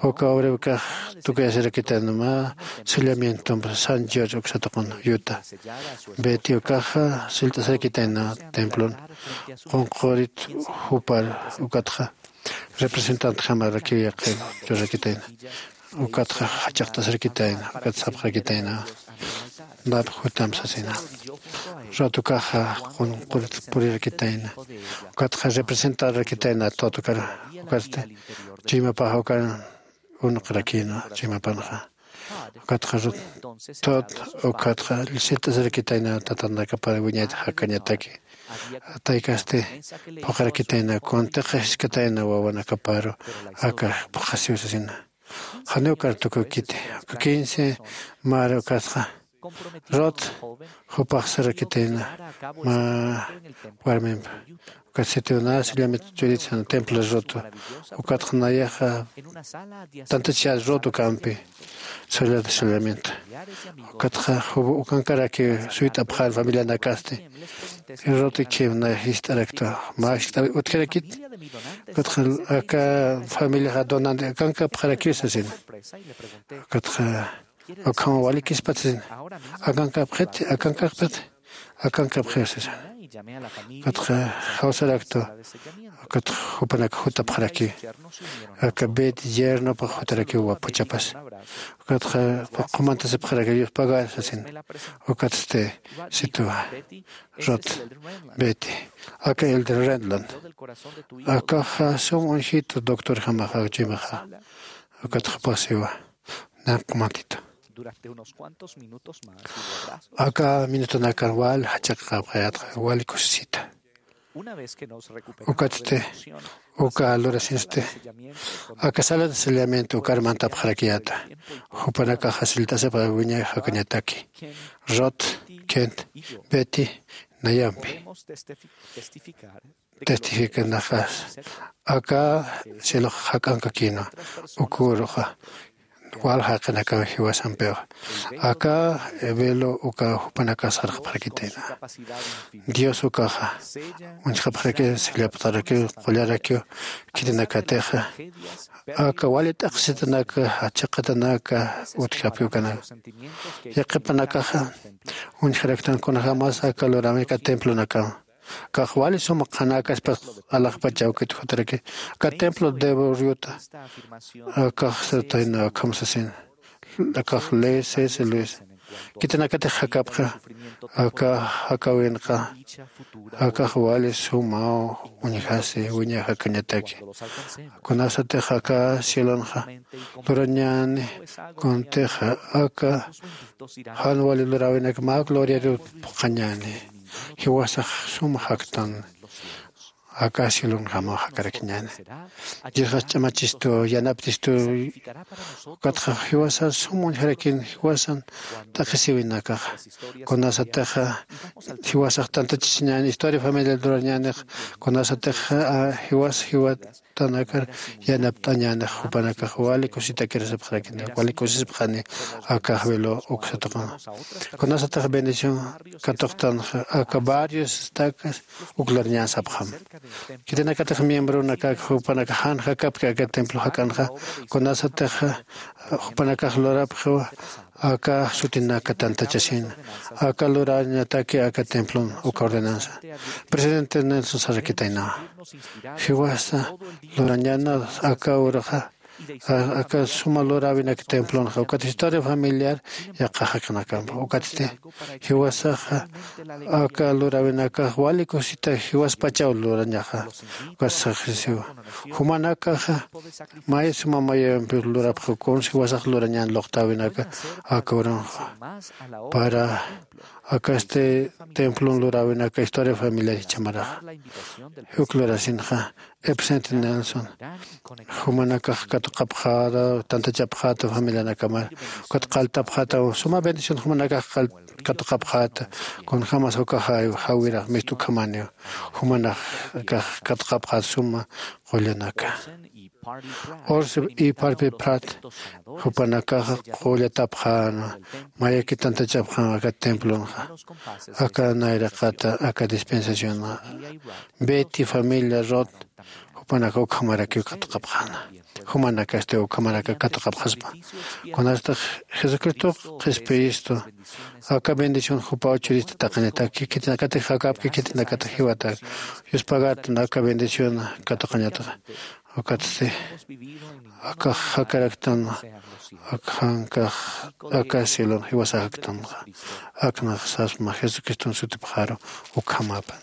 Uka obra ukax tukuyasirakitayna mä sellamientomp San George uksatuqun Utah. Betty ukaxa sillt'asirakitayna templon qunqurit jupar ukatxa representantjamarakiw yaqin churarakitayna. Ukatxa jachaqt'asirakitayna ukat sapxarakitayna. Nap jutam sasina. Rod ukaxa qunqurit purirakitayna. Ukatxa representarakitayna Todd ukar. Ukatsti chuymapax ukan unuqarakïna chuymapanxa. Ukatxa Rod Todd ukatxa sillt'asirakitayna tatanakapar wiñayta jakañataki. Taykasti phuqharakitayna kuntiqa jiskatayna wawanakaparu aka phuqhasiw sasina. Janiw kartukukiti uka quince mar ukasqa Rod jupax sarakitayna mä warmimp. Ukat sitiw nä sillamit churit sana templo Rod ukatxa nayaxa tantachas Rod ukampi. Sallata sallamiento ukatxa jubu ukankaraki suyt'apxan familianakasti. Rod ikhim nay jist'arakta mä jist'awi utjarakit. Ukatxa aka familiaxa donante akankapxarakiw sasina. Ukatxa ukhama walikispat sasina. Akankapxit akankapxit akankapxiw sasina. Ukatxa jawsarakta. Ukatxa jupanak jutapxaraki aka Betty yernopax jutarakiw wapuchapas. Ukatxa qumantasipxaraki yuspagar sasin. Ukatsti situwa Rod Betty aka Elder Renland akaxa sum uñjitu doctorjamaxa chuymaxa. Ukatxa jupax siwa nanq'umantitu. Aka minutunakar wal jachaqapxayatxa wal kusisita. Ukatsti uka lurasinsti aka salata sellamiento ukar mantapxarakiyata. Jupanakaxa sillt'asipxa wiñay jakañataki Rod, Kent, Betty nayampi testificanaxas aka cielox jak'ankakïnwa. Uküruxa wal jaqinakaw jiwasampiw aka velo uka jupanakas sarxapxarakitayna. Dios ukaxa uñjapxaraki sillaptarakiw qullarakiw khitinakatixa aka wali t'aqhisitanaka chiqatanaka utjapi ukanaka. Yaqhipanakaxa uñjaraktan kunjämas aka luräwinaka templonakama. Kax wali suma qhanäkaspas alaxpach awkit jutaraki aka templo de borriota. Akax sirtayna akham sasin akax ley cese luis khitinakatix jakapxa aka jakawinqa. Akax wali sumaw uñjasi wiñay jakañataki. Kunasatix aka cielonxa lurañäni kuntixa aka jan wali luräwinak mä gloriaru phuqhañäni. Jiwasax sum jaktan aka cielonjamaw jakarakiñäni. Diosxas ch'amachistu yanaptistu. Ukatxa jiwasar sum uñjarakin jiwasan t'aqhisiwinakaxa kunasatixa jiwasax tantachasiñäni historia familiar lurañänix kunasatixa jiwas jiwatanakar yanapt'añänix jupanakax wali kusitakirasipxarakini wali kusisipxani. Akax velo uksatuqun kunasatix bendición katuqtanxa aka barrios estakas uk lurañän sapxam. Khitinakatix miembronakak jupanakax jan jakapki aka templo jak'anxa kunasatix jupanakax lurapxiwa aka sutinaka tantachasina aka lurañataki aka templon uka ordenansa. Presidente Nelson sarakitaynawa jiwasa lurañäna aka uruxa aka suma luräwinak templonxa ukat historia familiar yaqha jaqinakampa ukatsti jiwasaxa aka luräwinakax wali kusita jiwaspachaw lurañaxa. Ukat saxisiwa jumanakaxa may suma mayampi lurapxi kunsa jiwasax lurañän luqtäwinaka aka urunxa para akasti templon luräwinaka historia familiar jichhamaraxa. Juk lurasinxa epsent nelson jumanakax katuqapxäta, tantachapxäta familianakamar. Ukat qalltapxäta, suma bendición jumanakax qall-, katuqapxäta. Kunjämas uka jaw-, jawirax mistu ukhamaniw. Jumanakax katuqapxäta suma qullanaka. Orson y Parley Pratt jupanakaxa qullatapxänwa, mayaki tantachapxänwa aka templonxa, aka nayraqata, aka dispensacionxa. Betty familia Roth jupanaka ukhamarakiw katuqapxäna. Jumanakasti ukhamaraka katuqapxaspa. Kunasatix Jesucristox qhispiyistu, aka bendición jupaw churista taqinitak, khitinakatix jakäpki, khitinakatix jiwatak. Yuspagartan aka bendición katuqañataxa. Ukatsti aka jakaraktan, aka jankax, aka cielon jiwasaxaktanxa. Aknax sasma Jesucriston sutipxaru ukhamapan.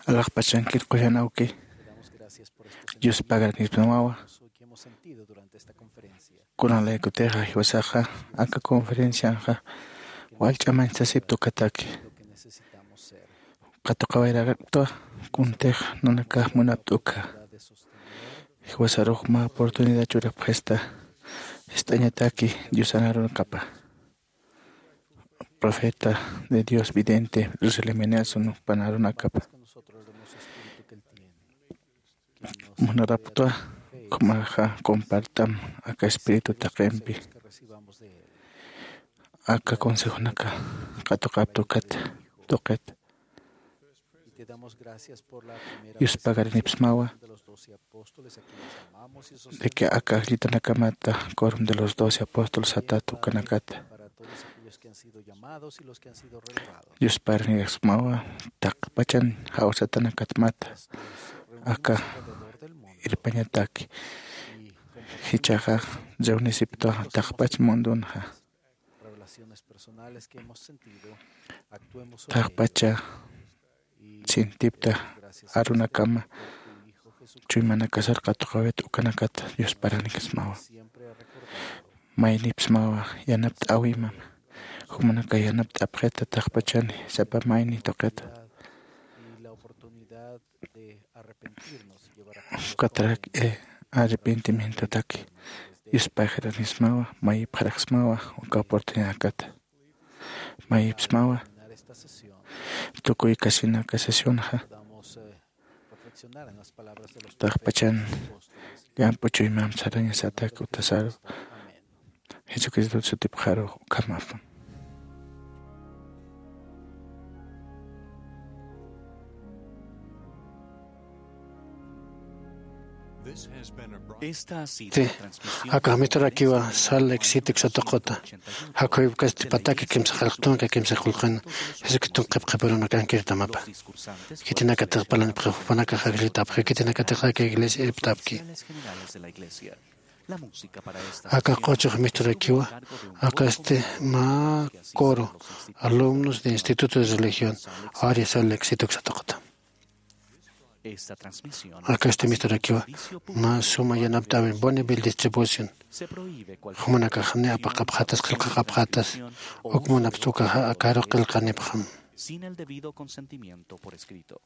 Alaxpachankir qullan awki, Dios pagaranipsmawa. Kunan laykutixa jiwasaxa aka conferencianxa wallch'a manchasipta ukataki. Qatuqawayrarakta kuntix nanakax munapta uka. Jiwasarux mä oportunidad churapxista, ist'añataki Diosan arunakapa. Profeta de Dios vidente Russell M. Nelson panarunakapa. Munaraptwa, kumaxa compartam aka espíritu taqimpi. Aka consejonaka qatuqapta ukata tuqita. Dios pagaranipsmawa de que aka ajllitanakamata, quórum de los doce apóstoles satat ukanakata. Dios pagaranipsmawa taqpachan jawsatanakatmata, aka irpañataki. Jichhaxa reunisiptwa taqpach mundunxa. Taqpacha sintipta arunakama chuymanakasar qatuqawit ukanakata Dios pagaranipsmawa. Maynipsmawa yanapt'äwimam. Jumanaka yanapt'apxita taqpachani sapa mayni tuqita. Ukatarak, eh, arrepentimientotaki Dios pagaranipsmawa, mayipxaraksmawa uka oportunidadkata. Mayipsmawa tukuy kasinaka sesionxa taqpachan llamp'u chuymamp sarañasatak utasaru. Jesucristo sutipxaru ukhamapxam. Esta ha sido Sí, la transmisión aka misturakiwa Salt Lake City uksatuquta. Jakhuyupkasti pataki kimsa qillqtunka kimsa qullqin Jesucristo qhipqhipirunakankirtamapa. Khitinakatix parlanipxi jupanakax ajllitapxi, khitinakatix aka iglesia irptapki. Aka q'uchux misturakiwa, akasti mä coro, alumnos de Instituto de Religión, área Salt Lake City uksatuquta. Akasti misturakiwa, mä suma yanapt'äwin Bonneville Distribution. Jumanakax ni apaqapxatas, qillqaqapxatas, uk munapxta ukaxa akaru qillqanipxam. Sin el debido consentimiento por escrito.